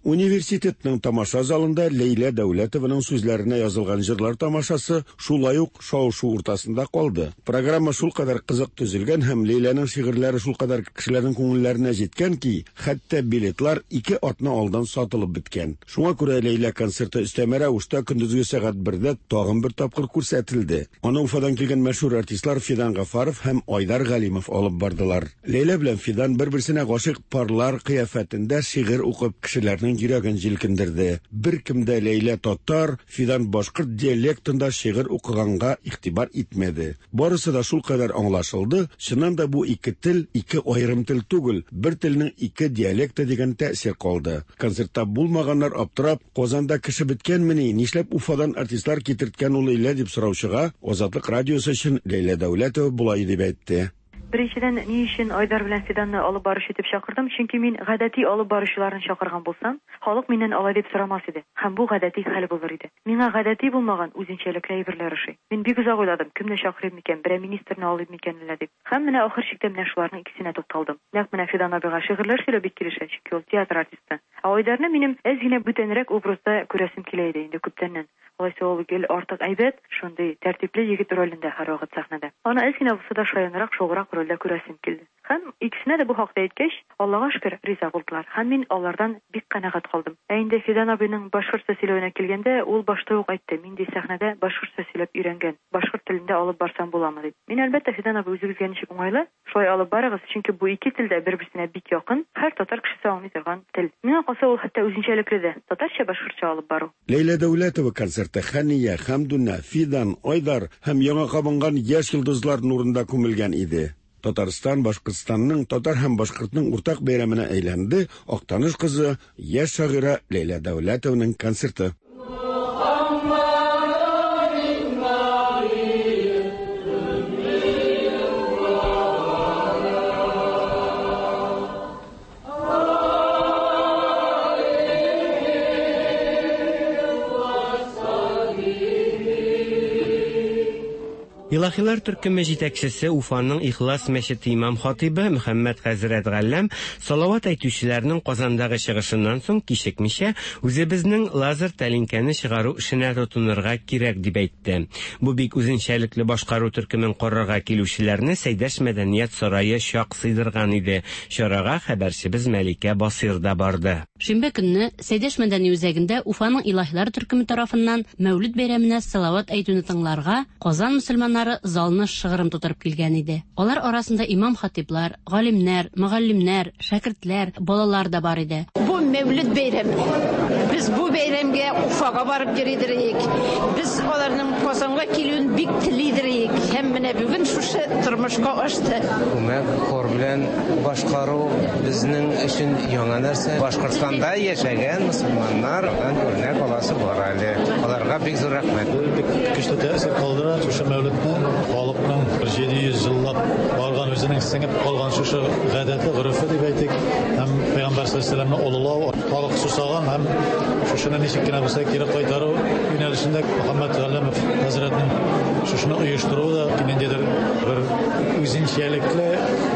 Университетның тамаша залында Ләйлә Дәүләтованың сүзләренә язылган җырлар тамашасы шулай ук шау-шу уртасында калды. Программа шулкадәр кызык төзелгән һәм Ләйләнең шигырьләре шулкадәр кешеләрнең күңелләренә җиткән ки, хәтта билетлар ике атна алдан сатылып беткән. Шуңа күрә Ләйлә концерты өстәмә рәвештә көндезге сәгать бердә тагын бер тапкыр күрсәтелде. Аны Уфадан килгән мәшһүр артистлар Фидан Гафаров һәм Айдар Галимов алып бардылар. Ләйлә белән Фидан бер-берсенә гашыйк парлар кыяфәтендә шигырь укып кешеләрнең йөрәген җилкендерде. Беркем дә Ләйлә татар, Фидан башкорт диалектында шигырь укыганга игътибар итмәде. Барысы да шулкадәр аңлашылды, чыннан да бу ике тел ике аерым тел түгел, бер телнең ике диалекты дигән тәэсир калды. Концертта булмаганнар аптырап, Казанда кеше беткәнмени, нишләп Уфадан артистлар китерткән ул Ләйлә дип сораучыга Азатлык радиосы өчен Ләйлә Дәүләтова болай дип әйтте. Беренчедән, ни өчен Айдар белән Фиданны алып баручы итеп чакырдым? Чөнки мин гадәти алып баручыларны чакырган булсам, халык миннән алай дип сорамас иде. Һәм бу гадәти хәл булыр иде. Миңа гадәти булмаган үзенчәлекле әйберләр ошый. Мин бик озак уйладым, кемне чакырыйм микән, берәр министрны алыйм микән әллә дип. Һәм менә ахыр чиктә менә шуларның икесенә тукталдым. Нәкъ менә Фидан абыйга шигырьләр сөйләү бик килешә, чөнки ул театр артисты. Ә Айдарны минем әз генә бүтәнрәк образда күрәсем килә иде инде күптәннән. Алайса ул гел артык әйбәт, шундый тәртипле егет ролендә һәрвакыт сәхнәдә. Аны әз генә булса да шаянрак, шограк рольдә күрәсем килде. Һәм икесенә дә бу хакта әйткәч, Аллага шөкер, риза булдылар. Һәм мин алардан бик канәгать калдым. Ә инде Фидан абыйның башкортча сөйләвенә килгәндә, ул башта ук әйтте, мин ди сәхнәдә башкортча сөйләп өйрәнгән, башкорт телендә алып барсам буламы дип. Мин әлбәттә Фидан абый үзегезгә ничек уңайлы, шулай алып барыгыз, чөнки бу ике тел дә бер-берсенә бик якын, һәр татар кешесе аңлый торган тел. Миңа калса ул хәтта үзенчәлекле дә, татарча башкортча алып бару. Ләйлә Дәүләтова концерты Хәния, Хәмдүнә, Фидан, Айдар һәм яңа кабынган яшь йолдызлар нурында күмелгән иде. Татарстан, Башкортстанның, татар һәм башкортның уртак бәйрәменә әйләнде Актаныш кызы, яшь шагыйрә Ләйлә Дәүләтованың концерты. Илаһилар төркеме җитәкчесе Уфаның Ихлас мәчете имам хатибы Мөхәммәд хәзрәт Галләм салават әйтүчеләрнең Казандагы чыгышыннан соң кичекмичә үзебезнең лазер тәлинкәне чыгару эшенә тотынырга кирәк дип әйтте. Бу бик үзенчәлекле башкару төркемен карарга килүчеләрне Сәйдәш мәдәният сарае чак сыйдырган иде. Чарага хәбәрчебез Мәликә Басир да барды. Шимбә көнне Сәйдәш мәдәни үзәгендә Уфаның Илаһилар төркеме тарафыннан Мәүлид бәйрәменә салават әйтүне тыңларга Казан мөселманнары залны шыгрым тутырып килгән иде. Алар арасында имам хатиплар, галимнәр, мөгаллимнәр, шәкертләр, балалар да бар иде. Бу Мәүлид бәйрәме. Без бу бәйрәмгә Уфага барып йөридек. Без аларның Казанга килүен бик телидек. Һәм менә бүген шушы тормышка ашты. Күмәк хор белән башкару безнең өчен яңа нәрсә. Башкортстанда яшәгән мөселманнардан үрнәк аласы бар әле. Аларга бик зур рәхмәт. Бик көчле тәэсир калдыра шушы Мәүлидне. Халыкның бер җиде йөз еллап барган үзенең сеңеп калган шушы гадәте, горефе дип әйтик, һәм Пәйгамбәр саллаллаһу алейһи ва сәлләмне олылау, халык сусаган һәм шушыны ничек кенә булса кире кайтару юнәлешендә Мөхәммәд Галләмов хәзрәтнең шушыны оештыруы да ниндидер бер үзенчәлекле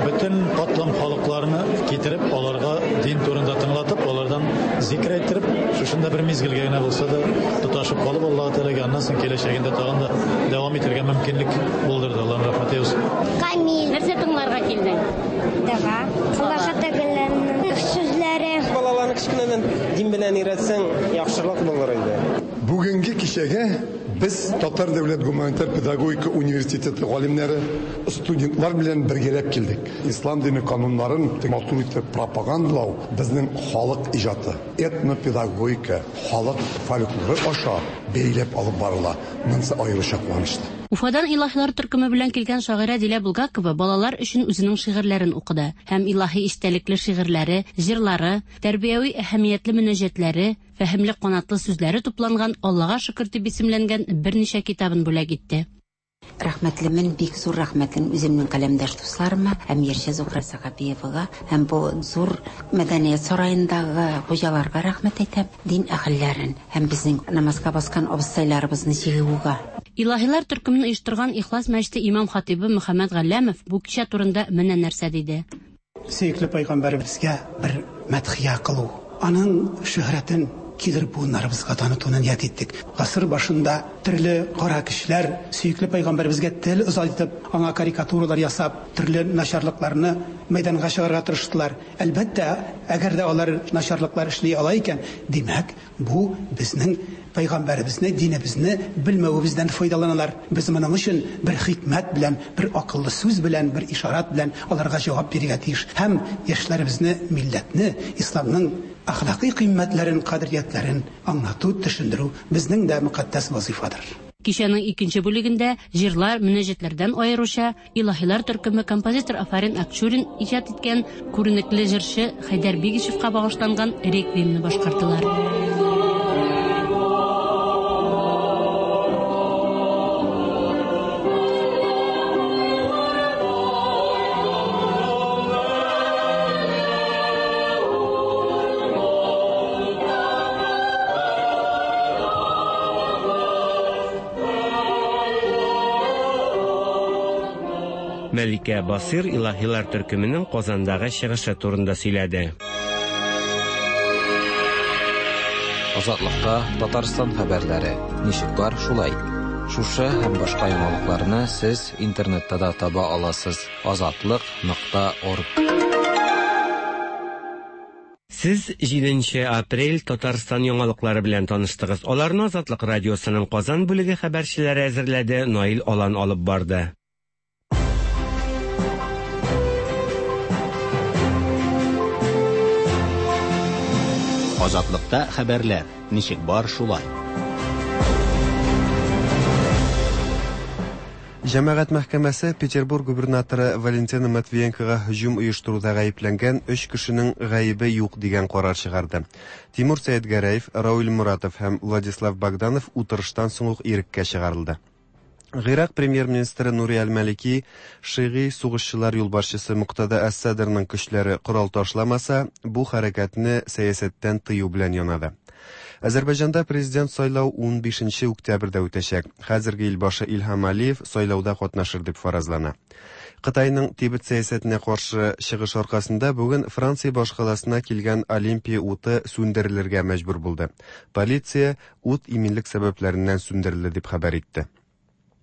бөтен катлам халыкларны китереп, аларга дин турында тыңлатып, алардан зикр әйттереп, шушында бер мизгелгә генә булса да тоташып калып, Аллаһ Тәгаләгә аннан соң киләчәгендә тагын да дәвам итәргә мөмкинлек булдырды. Аллаһның рәхмәте булсын. Камил. Нәрсә тыңларга килдең? Дога. Аллаһ Тәгаләнең сүзләре. Балаларны кечкенәдән дин белән өйрәтсәң, яхшырак булыр иде. Бүгенге кичәгә без Татар дәүләт гуманитар педагогика университеты галимнәре, студентлар белән бергәләп килдек. Ислам дине кануннарын матур итеп пропагандалау безнең халык иҗаты, этнопедагогика, халык фольклоры аша бәйләп алып барыла. Монысы аеруча куанычлы. Уфадан Илаһилар төркеме белән килгән шагыйрә Дилә Булгакова балалар өчен үзенең шигырьләрен укыды һәм илаһи истәлекле шигырьләре, җырлары, тәрбияви әһәмиятле мөнәҗәтләре, фәһемле канатлы сүзләре тупланган Аллаһка шөкер дип исемләнгән берничә китабын бүләк итте. Рәхмәтлемен, бик зур рәхмәтлемен үземнең каләмдәш дусларыма, һәм Ерчә Зухра Сәхәбиевага, һәм бу зур мәдәният сараендагы хуҗаларга рәхмәт әйтәм, дин әһелләрен һәм безнең намазга баскан абыстайларыбызны җыюга. Илаһилар төркемен оештырган Ихлас мәчете имам хатибы Мөхәммәд Галләмов бу кичә турында менә нәрсә диде. Сөекле пәйгамбәребезгә бер мәдхия кылу, аның шөһрәтен килер буыннарыбызга танытуны ният иттек. Гасыр башында төрле кара кешеләр сөекле пәйгамбәребезгә тел озайтып, аңа карикатуралар ясап, төрле начарлыкларны мәйданга чыгарырга тырыштылар. Әлбәттә, әгәр дә алар начарлыклар эшли ала икән, димәк, бу безнең пәйгамбәребезне, динебезне белмәвебездән файдаланалар. Без моның өчен бер хикмәт белән, бер акыллы сүз белән, бер ишарат белән аларга җавап бирергә тиеш. Һәм яшьләребезне, милләтне, исламның әхлакый кыйммәтләрен, кадриятләрен аңлату, төшендерү безнең дә мөкатдәс вазифадыр. Кичәнең икенче бүлегендә җырлар, мөнәҗәтләрдән аеруча Илаһилар төркеме композитор Афарин Акчурин иҗат иткән күренекле җырчы Хәйдәр Бигичевка багышланган реквиемны башкардылар. Мәликә Басир Илаһилар төркеменең Казандагы чыгышы турында сөйләде. Азатлыкта Татарстан хәбәрләре. Ничек бар, шулай. Шушы һәм башка яңалыкларны сез интернетта да таба аласыз. азатлык нокта орг. Сез җиденче апрель Татарстан яңалыклары белән таныштыгыз. Аларны Азатлык радиосының Казан бүлеге хәбәрчеләре әзерләде, Наил Алан алып барды. Азатлыкта хәбәрләр. Ничек бар, шулай. Җәмәгать мәхкәмәсе Петербург губернаторы Валентина Матвиенкога һөҗүм оештыруда гаепләнгән өч кешенең гаебе юк дигән карар чыгарды. Тимур Сәетгәрәев, Рауль Муратов һәм Владислав Богданов утырыштан соң ук иреккә чыгарылды. Гыйрак премьер-министры Нури Аль-Малики шигый сугышчылар юлбашчысы Муктада әс-Садрның көчләре корал ташламаса, бу хәрәкәтне сәясәттән тыю белән янады. Азәрбайҗанда президент сайлау унбишенче октябрьдә үтәчәк. Хәзерге илбашы Илһам Алиев сайлауда катнашыр дип фаразлана. Кытайның Тибет сәясәтенә каршы чыгыш аркасында бүген Франция башкаласына килгән Олимпия уты сүндерелергә мәҗбүр булды. Полиция ут иминлек сәбәпләреннән сүндерелде дип хәбәр итте.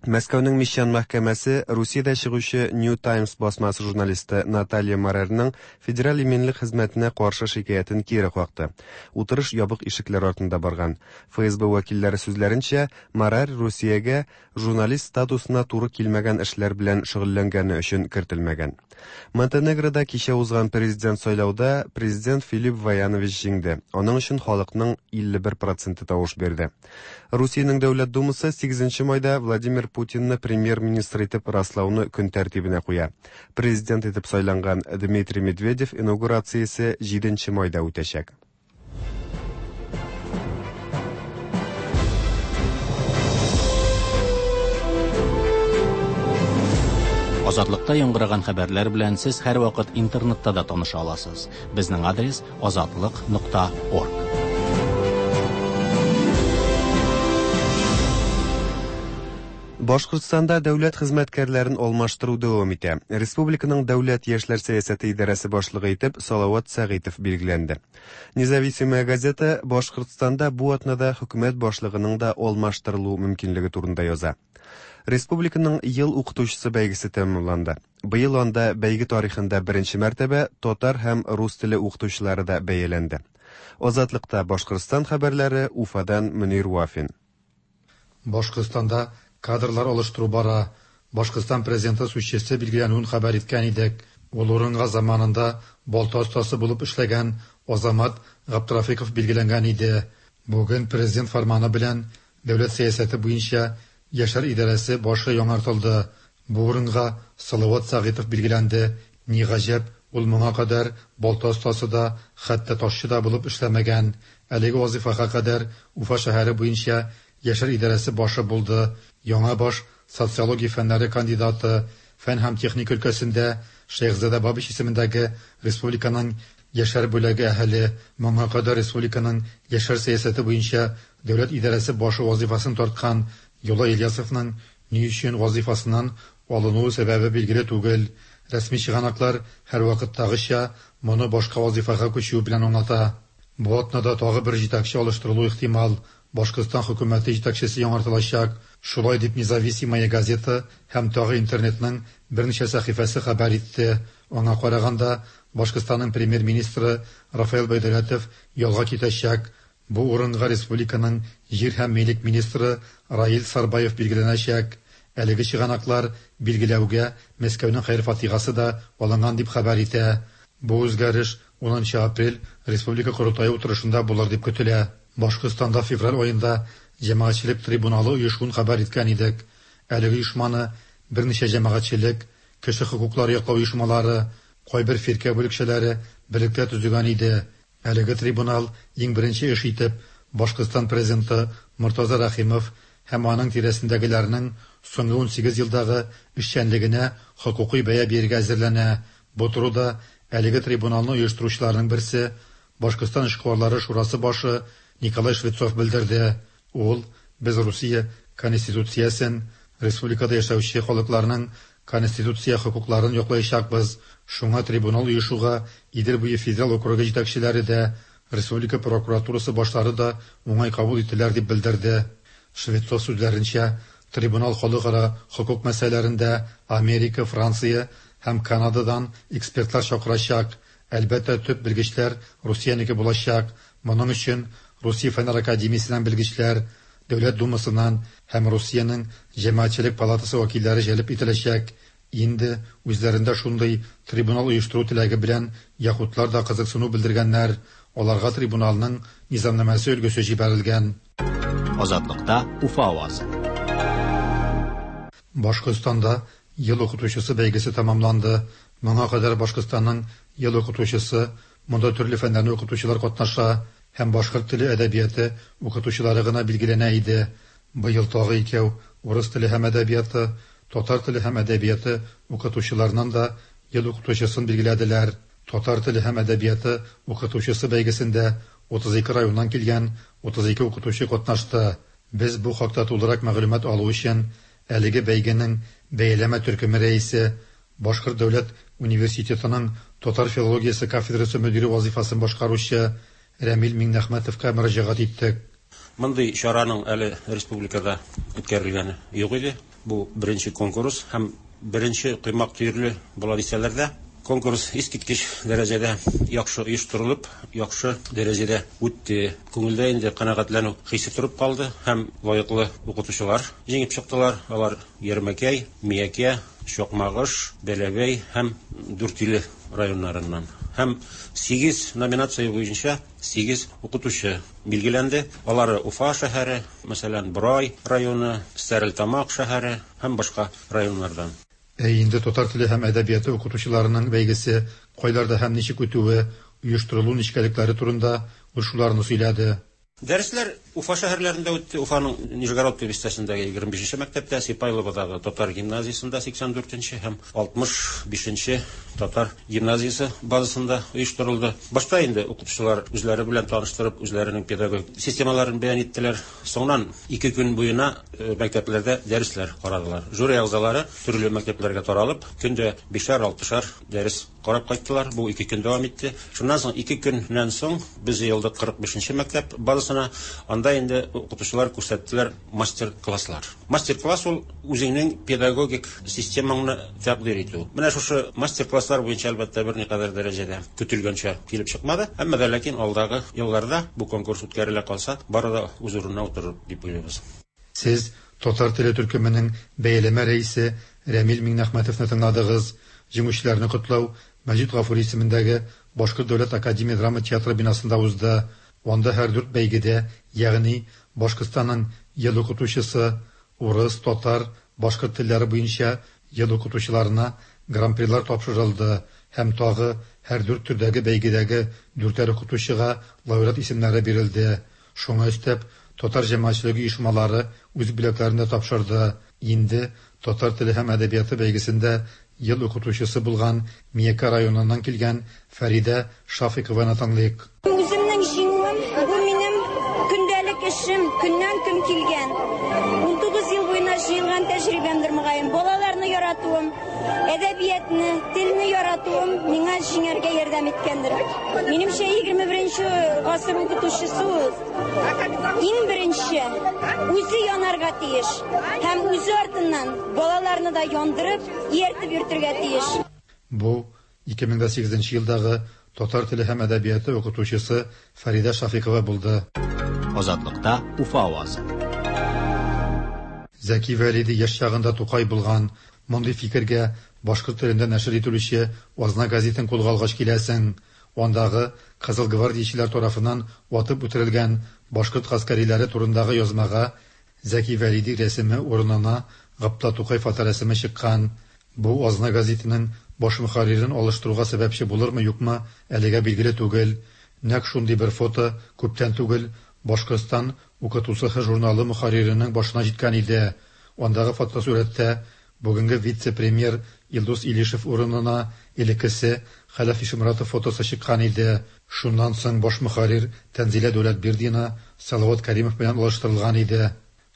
Мәскәүнең Мещан мәхкәмәсе Русиядә чыгучы New Times басмасы журналисты Наталья Марерның федераль иминлек хезмәтенә каршы шикаятен кире какты. Утырыш ябык ишекләр артында барган. Эф Эс Бэ вәкилләре сүзләренчә, Марер Русиягә журналист статусына туры килмәгән эшләр белән шөгыльләнгәне өчен кертелмәгән. Монтенегрода кичә узган президент сайлауда президент Филипп Ваянович җиңде. Аның өчен халыкның илле бер проценты тавыш бирде. Русиянең Дәүләт Думасы сигезенче майда Владимир Путинны премьер-министр итеп раслауны көн тәртибенә куя. Президент итеп сайланган Дмитрий Медведев инаугурациясе җиденче майда үтәчәк. Азатлыкта яңгыраган хәбәрләр белән сез һәрвакыт интернетта да таныша аласыз. Безнең адрес азатлык нокта орг. Башкортстанда дәүләт хезмәткәрләрен алмаштыру дәвам итә. Республиканың дәүләт яшьләр сәясәте идарәсе башлыгы итеп Салават Сәгыйтов билгеләнде. Независимая газета Башкортстанда бу атнада хөкүмәт башлыгының да алмаштырылу мөмкинлеге турында яза. Республиканың ел укытучысы бәйгесе тәмамланды. Быел анда бәйге тарихында беренче мәртәбә татар һәм рус теле укытучылары да бәяләнде. Азатлыкта Башкортстан хәбәрләре, Уфадан Мөнир Вафин. Башкортстанда кадрлар алыштыру бара. Башкортстан президенты сүзчесе билгеләнүен хәбәр иткән идек. Ул урынга заманында балта остасы булып эшләгән Азамат Габдрафиков билгеләнгән иде. Бүген президент фарманы белән дәүләт сәясәте буенча яшьләр идарәсе башы яңартылды. Бу урынга Салават Сәгыйтов билгеләнде. Ни гаҗәп, ул моңа кадәр балта остасы да, хәтта ташчы да булып эшләмәгән. Әлеге вазифага кадәр Уфа шәһәре буенча яшьләр идарәсе башы булды. Яңа баш социология фәннәре кандидаты, фән һәм техника өлкәсендә Шәйхзадә Бабич исемендәге республиканың яшьләр бүлеге әһеле, моңа кадәр республиканың яшьләр сәясәте буенча дәүләт идарәсе башы вазифасын тарткан Юлай Ильясовның ни өчен вазифасыннан алынуы сәбәбе билгеле түгел. Рәсми чыганаклар һәрвакыттагыча моны башка вазифага күчү белән аңлата. Бу атнада тагы бер җитәкче алыштырылу ихтимал. Башкортстан хөкүмәте җитәкчесе яңартылачак. Шулай дип Независимая газета һәм тагы интернетның берничә сәхифәсе хәбәр итте. Аңа караганда Башкортстанның премьер-министры Рафаэль Байдәүләтов ялга китәчәк. Бу урынга республиканың җир һәм милек министры Раил Сарбаев билгеләнәчәк. Әлеге чыганаклар билгеләүгә Мәскәүнең хәер-фатихасы да алынган дип хәбәр итә. Бу үзгәреш унынчы апрель Республика Корылтае утырышында булыр дип көтелә. Башкортстанда февраль аенда җәмәгатьчелек трибуналы оешуын хәбәр иткән идек. Әлеге оешманы берничә җәмәгатьчелек, кеше хокуклары яклау оешмалары, кайбер фиркә бүлекчәләре берлектә төзегән иде. Әлеге трибунал иң беренче эш итеп Башкортстан президенты Мортаза Рәхимов һәм аның тирәсендәгеләрнең соңгы унсигез елдагы эшчәнлегенә хокукый бәя бирергә әзерләнә. Бу турыда әлеге трибуналны оештыручыларның берсе Башкортстан эшкуарлары шурасы башы Николай Швецов белдерде. Ул без Русия конституциясен, республикада яшәүче халыкларның конституция хокукларын яклаячакбыз. Шуңа трибунал оешуга Идел буе федераль округы җитәкчеләре дә, республика прокуратурасы башлары да уңай кабул иттеләр дип белдерде. Швецов сүзләренчә, трибунал халыкара хокук мәсьәләләрендә Америка, Франция һәм Канададан экспертлар чакырачак. Әлбәттә, төп белгечләр Русиянеке булачак. Моның өчен Русия Фәннәр академиясеннән белгечләр, Дәүләт Думасыннан һәм Русиянең Җәмәгатьчелек палатасы вәкилләре җәлеп ителәчәк. Инде үзләрендә шундый трибунал оештыру теләге белән яһүдләр дә кызыксыну белдергәннәр. Аларга трибуналның низамнамәсе өлгесе җибәрелгән. Азатлыкта Уфа авазы. Башкортстанда ел укытучысы бәйгесе тәмамланды. Моңа кадәр Башкортстанның ел укытучысы, монда төрле фәннәрне укытучылар катнаша һәм башкорт теле әдәбияты укытучылары гына билгеләнә иде. Быел тагы икәү урыс теле һәм әдәбияты, татар теле һәм әдәбияты укытучыларынан да ел укытучысын билгеләделәр. Татар теле һәм әдәбияты укытучысы бәйгесендә утыз ике районнан килгән утыз ике укытучы катнашты. Без бу хакта тулырак мәгълүмат алу өчен әлеге бәйгенең бәяләмә төркеме рәисе, Башкорт дәүләт университетының татар филологиясе кафедрасы мөдире вазифасын башкаручы Рәмил Миңнәхмәтовка мөрәҗәгать иттек. Мондый чараның әле республикада үткәрелгәне юк иде. Бу беренче конкурс һәм беренче коймак төерле була дисәләр дә, конкурс искиткеч дәрәҗәдә яхшы оештырылып, яхшы дәрәҗәдә үтте. Күңелдә инде канәгатьләнү хисе торып калды һәм лаеклы укытучылар җиңеп чыктылар. Алар Ярмәкәй, Миякә, Чакмагыш, Бәләбәй һәм Дүртөйле районнарыннан. Һәм сигез номинация буенча сигез укытучы билгеләнде. Алары Уфа шәһәре, мәсәлән, Борай районы, Стәрлетамак шәһәре һәм башка районнардан. Ә инде татар теле һәм әдәбияты укытучыларының бәйгесе кайларда һәм ничек үтүе, оештырылу нечкәлекләре турында ул шуларны сөйләде. Дәресләр Уфа шәһәрләрендә үтте. Уфаның Нижегородка бистәсендәге егерме бишенче мәктәптә, Сипайловодагы татар гимназиясендә сиксән дүртенче һәм алтмыш бишенче татар гимназиясе базасында оештырылды. Башта инде укытучылар үзләре белән таныштырып, үзләренең педагогик системаларын бәян иттеләр. Соңыннан ике көн буена мәктәпләрдә дәресләр карадылар. Жюри әгъзалары төрле мәктәпләргә таралып, көндә бишәр-алтышар дәрес карап кайттылар. Бу ике көн дәвам итте. Шуннан соң ике көннән соң без җыелдык кырык бишенче мәктәп базасына. Анда инде укытучылар күрсәттеләр мастер-класслар. Мастер-класс ул үзеңнең педагогик системаңны тәкъдир итү. Менә шушы мастер-класслар буенча әлбәттә берникадәр дәрәҗәдә көтелгәнчә килеп чыкмады. Әмма дә ләкин алдагы елларда бу конкурс үткәрелә калса, бары да үз урынына утырыр дип уйлыйбыз. Сез татар теле төркеменең бәяләмә рәисе Рәмил Миңнәхмәтовны тыңладыгыз. Җиңүчеләрне котлау Мәҗит Гафури исемендәге Башкорт дәүләт академия драма театры бинасында узды. Анда һәр дүрт бәйгедә, ягъни Башкортстанның ел укытучысы, урыс, татар, башкорт телләре буенча ел укытучыларына гран-прилар тапшырылды һәм тагы һәр дүрт төрдәге бәйгедәге дүртәр укытучыга лауреат исемнәре бирелде. Шуңа өстәп, татар җәмәгатьчелеге оешмалары үз бүләкләрен дә тапшырды. Инде татар теле һәм әдәбияты бәйгесендә ел укытучысы булган Миякә районыннан килгән Фәридә Шафикованы тыңлыйк. Үземнең җиңүем бу минем көндәлек эшем, көннән көн килгән. Унтугыз ел буена җыелган тәҗрибәмдер мөгаен. Балаларны яратуым, әдәбиятны, телне яратуым миңа җиңәргә ярдәм иткәндер. Минемчә, егерме беренче гасыр укытучысы ул иң беренче үзе янарга тиеш һәм үзе артыннан балаларны да яндырып, ияртеп йөртергә тиеш. Бу ике мең дә сигезенче елдагы татар теле һәм әдәбияты укытучысы Фәридә Шафикова булды. Азатлыкта Уфа авазы. Зәки Вәлиди яшь чагында Тукай булган. Мондый фикергә башкорт телендә нәшер ителүче Азна гәзитен кулга алгач киләсең. Андагы Кызыл гвардиячеләр тарафыннан атып үтерелгән башкорт гаскәриләре турындагы язмага Зәки Вәлиди рәсеме урынына Габдулла Тукай фоторәсеме чыккан. Бу Азна гәзитенең баш мөхәррирен алыштыруга сәбәпче булырмы-юкмы, әлегә билгеле түгел. Нәкъ шундый бер фото күптән түгел Башкортстан укытучыһы журналы мөхәрриренең башына җиткән иде. Андагы фотосурәттә бүгенге вице-премьер Илдус Илишев урынына элеккесе Хәләф Ишморатов фотосы чыккан иде. Шуннан соң баш мөхәррир Тәнзилә Дәүләтбирдина Салават Кәримов белән алыштырылган иде.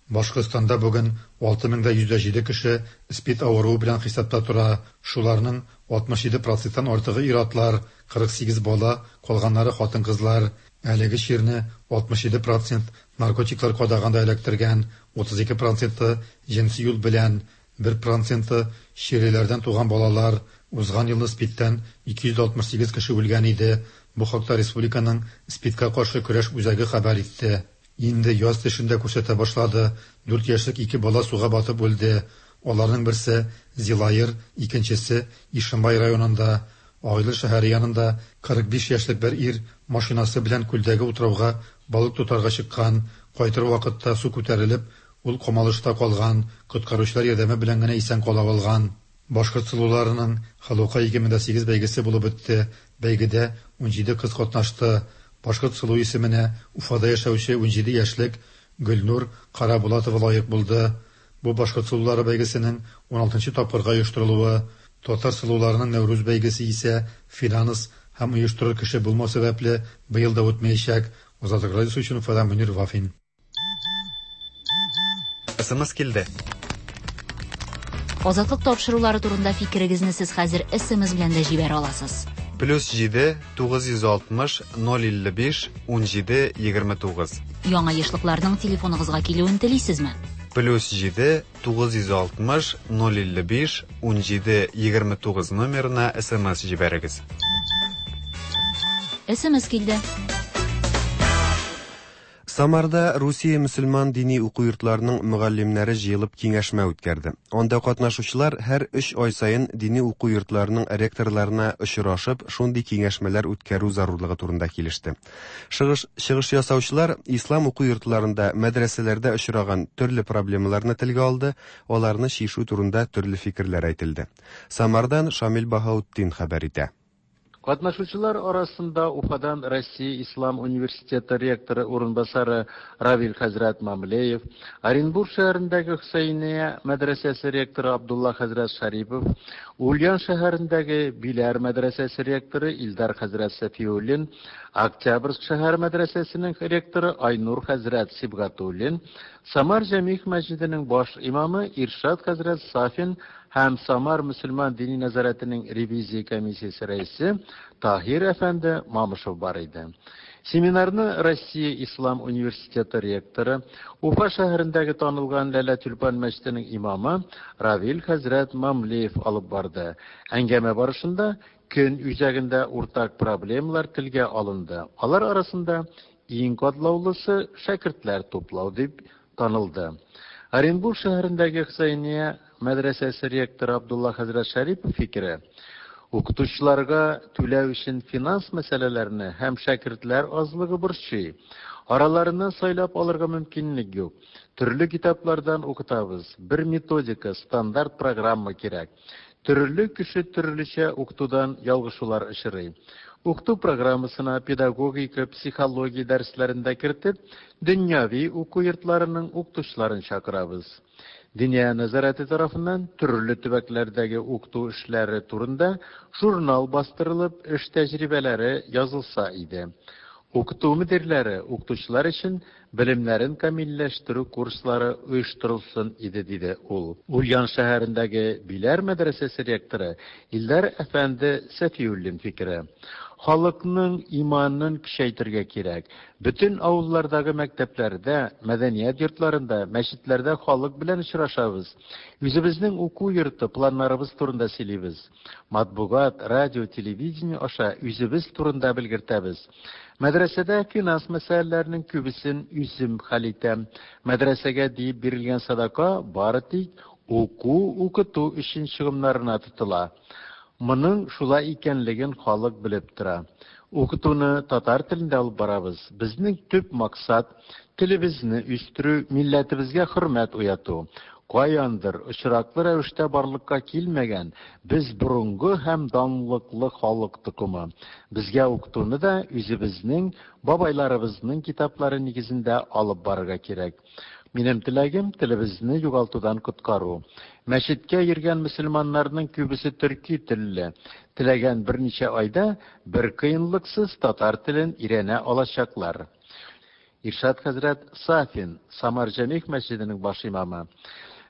Башкортстанда бүген алты мең дә йөз дә җиде кеше СПИД авыруы белән хисапта тора. Шуларның алтмыш җиде проценттан артыгы ир-атлар, кырык сигез бала, калганнары хатын-кызлар. Әлеге чирне алтмыш җиде процент наркотиклар кадаганда эләктергән, утыз ике проценты җенси юл белән, бер проценты чирлеләрдән туган балалар. Узган елны СПИДтән ике йөз алтмыш сигез кеше үлгән иде. Бу хакта республиканың СПИДка каршы көрәш үзәге хәбәр итте. Инде яз төшендә күрсәтә башлады. Дүрт яшьлек ике бала суга батып үлде. Аларның берсе Зилаер, икенчесе Ишембай районында. Агыйдел шәһәре янында кырык биш яшьлек бер ир машинасы белән күлдәге утрауга балык тотарга чыккан. Кайтыр вакытта су күтәрелеп, ул камалышта калган. Коткаручылар ярдәме белән генә исән кала алган. Башкорт сылуларының Халука ике мең дә сигез бәйгесе булып үтте. Бәйгедә унҗиде кыз катнашты. Башкорт сылу исеменә Уфада яшәүче унҗиде яшьлек Гөлнур Карабулатова лаек булды. Бу башкорт сылулары бәйгесенең уналтынчы тапкырга оештырылуы. Татар сылуларының Нәүрүз бәйгесе исә финанс һәм оештырыр кеше булмау сәбәпле быел да үтмәячәк. Азатлык радиосы өчен Уфадан Мөнир Вафин. СМС килде. Азатлык тапшырулары турында фикерегезне сез хәзер СМС белән дә җибәрә аласыз. Плюс җиде, тугыз йөз алтмыш, ноль илле биш, унҗиде, егерме тугыз. Яңа ешлыкларның телефоныгызга килүен телисезме? Плюс җиде, тугыз йөз алтмыш, ноль илле биш, унҗиде, егерме тугыз номерына СМС җибәрегез. СМС килде. Самарда Русия мөселман дини уку йортларының мөгаллимнәре җыелып киңәшмә үткәрде. Анда катнашучылар һәр өч ай саен дини уку йортларының ректорларына очрашып, шундый киңәшмәләр үткәрү зарурлыгы турында килеште. Чыгыш, чыгыш ясаучылар ислам уку йортларында, мәдрәсәләрдә очраган төрле проблемаларны телгә алды, аларны чишү турында төрле фикерләр әйтелде. Самардан Шамил Баһаутдин хәбәр итә. Катнашучылар арасында Уфадан Россия Ислам университеты ректоры урынбасары Равил хәзрәт Мамлеев, Оренбург шәһәрендәге Хөсәйния мәдрәсәсе ректоры Абдулла хәзрәт Шарипов, Ульян шәһәрендәге Биләр мәдрәсәсе ректоры Илдар хәзрәт Сафиуллин, Октябрьск шәһәр мәдрәсәсенең ректоры Айнур хәзрәт Сибгатуллин, Самар Җәмигъ мәчетенең баш имамы Иршат хәзрәт Сафин һәм Самар мөселман дини нәзарәтенең ревизия комиссиясе рәисе Таһир әфәнде Мамышев бар иде. Семинарны Россия Ислам университеты ректоры, Уфа шәһәрендәге танылган Ләлә Тюльпан мәчетенең имамы Равил хәзрәт Мамлеев алып барды. Әңгәмә барышында көн үзәгендә уртак проблемалар телгә алынды. Алар арасында иң катлаулысы шәкертләр туплау дип танылды. Оренбург шәһәрендәге Хөсәйния мәдрәсәсе ректоры Абдулла хәзрәт Шарипов фикере, укытучыларга түләү өчен финанс мәсьәләләрне һәм шәкертләр азлыгы борчый. Араларыннан сайлап алырга мөмкинлек юк. Төрле китаплардан укытабыз. Бер методика, стандарт программа кирәк. Төрле кеше төрлечә укытудан ялгышулар очрый. Укыту программасына педагогика, психология дәресләрен дә кертеп, дөньяви уку йортларының укытучыларын чакырабыз. Диния нәзарәте тарафыннан төрле төбәкләрдәге укыту эшләре турында журнал бастырылып, эш тәҗрибәләре язылса иде. Укыту мөдирләре укытучылар өчен белемнәрен камилләштерү курслары оештырылсын иде, диде ул. Ульян шәһәрендәге Биләр мәдрәсәсе ректоры Илдар әфәнде Сәфиуллин фикере. Халыкның иманын көчәйтергә кирәк. Бөтен авыллардагы мәктәпләрдә, мәдәният йортларында, мәчетләрдә халык белән очрашабыз. Үзебезнең уку йорты планнарыбыз турында сөйлибез. Матбугат, радио, телевидение аша үзебез турында белгертәбез. Мәдрәсәдә финанс мәсьәләләренең күбесен үзем хәл итәм. Мәдрәсәгә диеп бирелгән садака бары тик уку-укыту өчен чыгымнарына тотыла. Моның шулай икәнлеген халык белеп тора. Укытуны татар телендә алып барабыз. Безнең төп максат телебезне үстерү, милләтебезгә хөрмәт уяту. Каяндыр очраклы рәвештә барлыкка килмәгән без борынгы һәм данлыклы халык токымы. Безгә укытуны да үзебезнең бабайларыбызның китаплары нигезендә алып барырга кирәк. Минем теләгем телебезне югалтудан коткару. Мәчеткә йөргән мөселманнарның күбесе төрки телле. Теләгән берничә айда бер кыенлыксыз татар телен өйрәнә алачаклар. Иршат хәзрәт Сафин, Самар Җәмигъ мәчетенең баш имамы.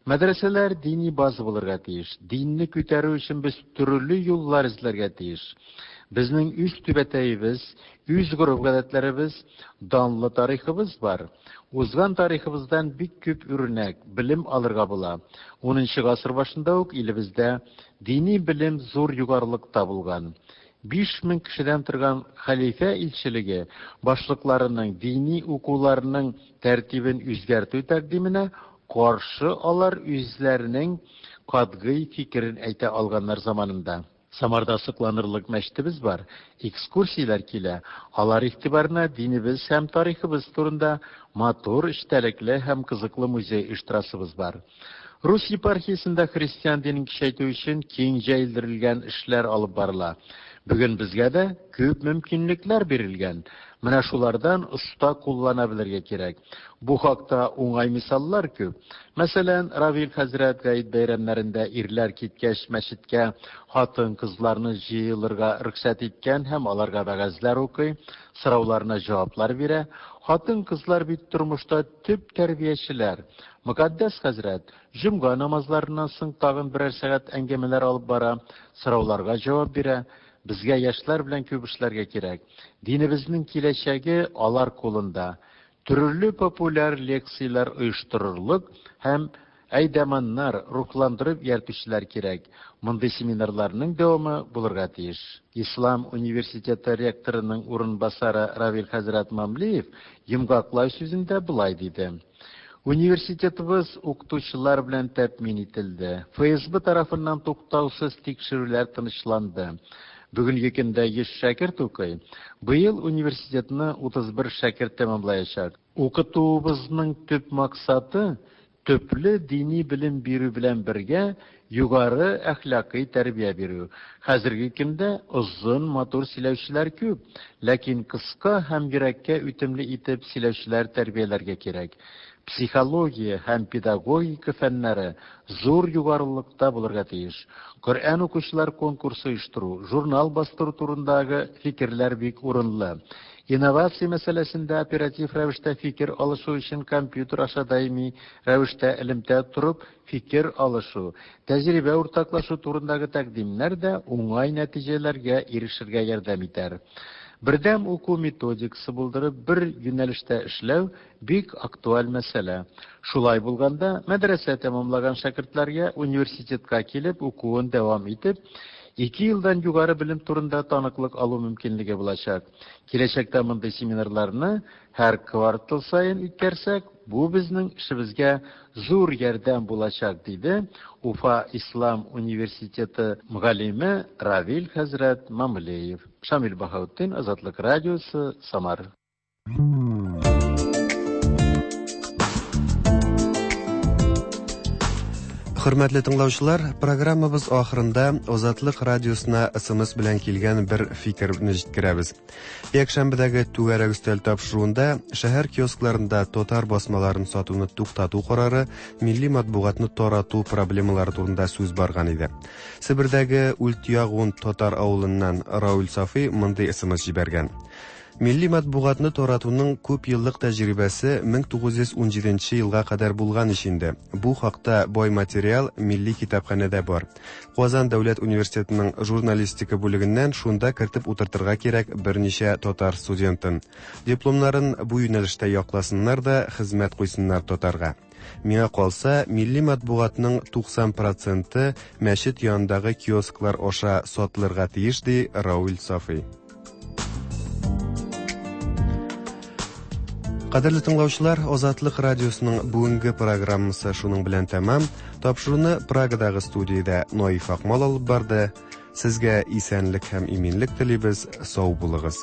Мәдрәсәләр дини база булырга тиеш. Динне күтәрү өчен без төрле юллар эзләргә тиеш. Безнең үз түбәтәебез, үз гореф-гадәтләребез, данлы тарихыбыз бар. Узган тарихыбыздан бик күп үрнәк, белем алырга була. Унынчы гасыр башында ук илебездә дини белем зур югарылыкта булган. Биш мең кешедән торган хәлифә илчелеге башлыкларының дини укуларының тәртибен үзгәртү тәкъдименә каршы алар үзләренең катгый фикерен әйтә алганнар заманында. Самарда сокланырлык мәчетебез бар, экскурсияләр килә. Алар игътибарына динебез һәм тарихыбыз турында матур, эчтәлекле һәм кызыклы музей оештырасыбыз бар. Рус епархиясендә христиан динен көчәйтү өчен киң җәелдерелгән эшләр алып барыла. Бүген безгә дә күп мөмкинлекләр бирелгән. Менә шулардан оста куллана белергә кирәк. Бу хакта уңай мисаллар күп. Мәсәлән, Равил хәзрәт гает бәйрәмнәрендә ирләр киткәч мәчеткә хатын-кызларны җыелырга рөхсәт иткән һәм аларга вәгазьләр укый, сорауларына җаваплар бирә. Хатын-кызлар бит тормышта төп тәрбиячеләр. Мөкаддәс хәзрәт җомга намазларыннан соң тагын берәр сәгать әңгәмәләр алып бара, сорауларга җавап бирә. Безгә яшьләр белән күп эшләргә кирәк. Динебезнең киләчәге алар кулында. Төрле популяр лекцияләр оештырырлык һәм әйдәманнар, рухландырып йөртүчеләр кирәк. Мондый семинарларның дәвамы булырга тиеш. Ислам университеты ректорының урынбасары Равил хәзрәт Мамлеев йомгаклау сүзендә болай диде. Университетыбыз укытучылар белән тәэмин ителде. Эф Эс Бэ тарафыннан туктаусыз тикшерүләр тынычланды. Бүгенге көндә йөз шәкерт укый. Быел университетны утыз бер шәкерт тәмамлаячак. Укытуыбызның төп максаты төпле дини белем бирү белән бергә югары әхлакый тәрбия бирү. Хәзерге көндә озын матур сөйләүчеләр күп, ләкин кыска һәм йөрәккә үтемле итеп сөйләүчеләр тәрбияләргә кирәк. Психология һәм педагогика фәннәре зур югарылыкта булырга тиеш. Коръән укучылар конкурсы оештыру, журнал бастыру турындагы фикерләр бик урынлы. Инновация мәсьәләсендә оператив рәвештә фикер алышу өчен компьютер аша даими рәвештә элемтә торып фикер алышу, тәҗрибә уртаклашу турындагы тәкъдимнәр дә уңай нәтиҗәләргә ирешергә ярдәм итәр. Бердәм уку методикасы булдырып бер юнәлештә эшләү бик актуаль мәсьәлә. Шулай булганда, мәдрәсә тәмамлаган шәкертләргә университетка килеп укуын дәвам итеп, ике елдан югары белем турында таныклык алу мөмкинлеге булачак. Киләчәктә мондый семинарларны һәр квартал саен үткәрсәк, бу безнең эшебезгә зур ярдәм булачак, диде Уфа Ислам университеты мөгаллиме Равил хәзрәт Мамлеев. Шамил Баһаутдин, Азатлык радиосы, Самар. Хөрмәтле тыңлаучылар, программабыз ахырында Азатлык радиосына эс эм эс белән килгән бер фикерне җиткерәбез. Якшәмбедәге түгәрәк өстәл тапшыруында шәһәр киоскларында татар басмаларын сатуны туктату карары, милли матбугатны тарату проблемалары турында сүз барган иде. Себердәге Ультягун татар авылыннан Рауль Сафи мондый эс эм эс җибәргән. Милли матбугатны таратуның күп еллык тәҗрибәсе мең тугыз йөз унҗиденче елга кадәр булган ич инде. Бу хакта бай материал милли китапханәдә бар. Казан дәүләт университетының журналистика бүлегеннән шунда кертеп утыртырга кирәк берничә татар студентын. Дипломнарын бу юнәлештә якласыннар да хезмәт куйсыннар татарга. Миңа калса, милли матбугатның туксан проценты мәчет янындагы киосклар аша сатылырга тиеш, ди Рауль Сафи. Кадерле тыңлаучылар, Азатлык радиосының бүгенге программасы шуның белән тәмам. Тапшыруны Прагадагы студиядә Наиф Акмал алып барды. Сезгә исәнлек һәм иминлек телибез. Сау булыгыз.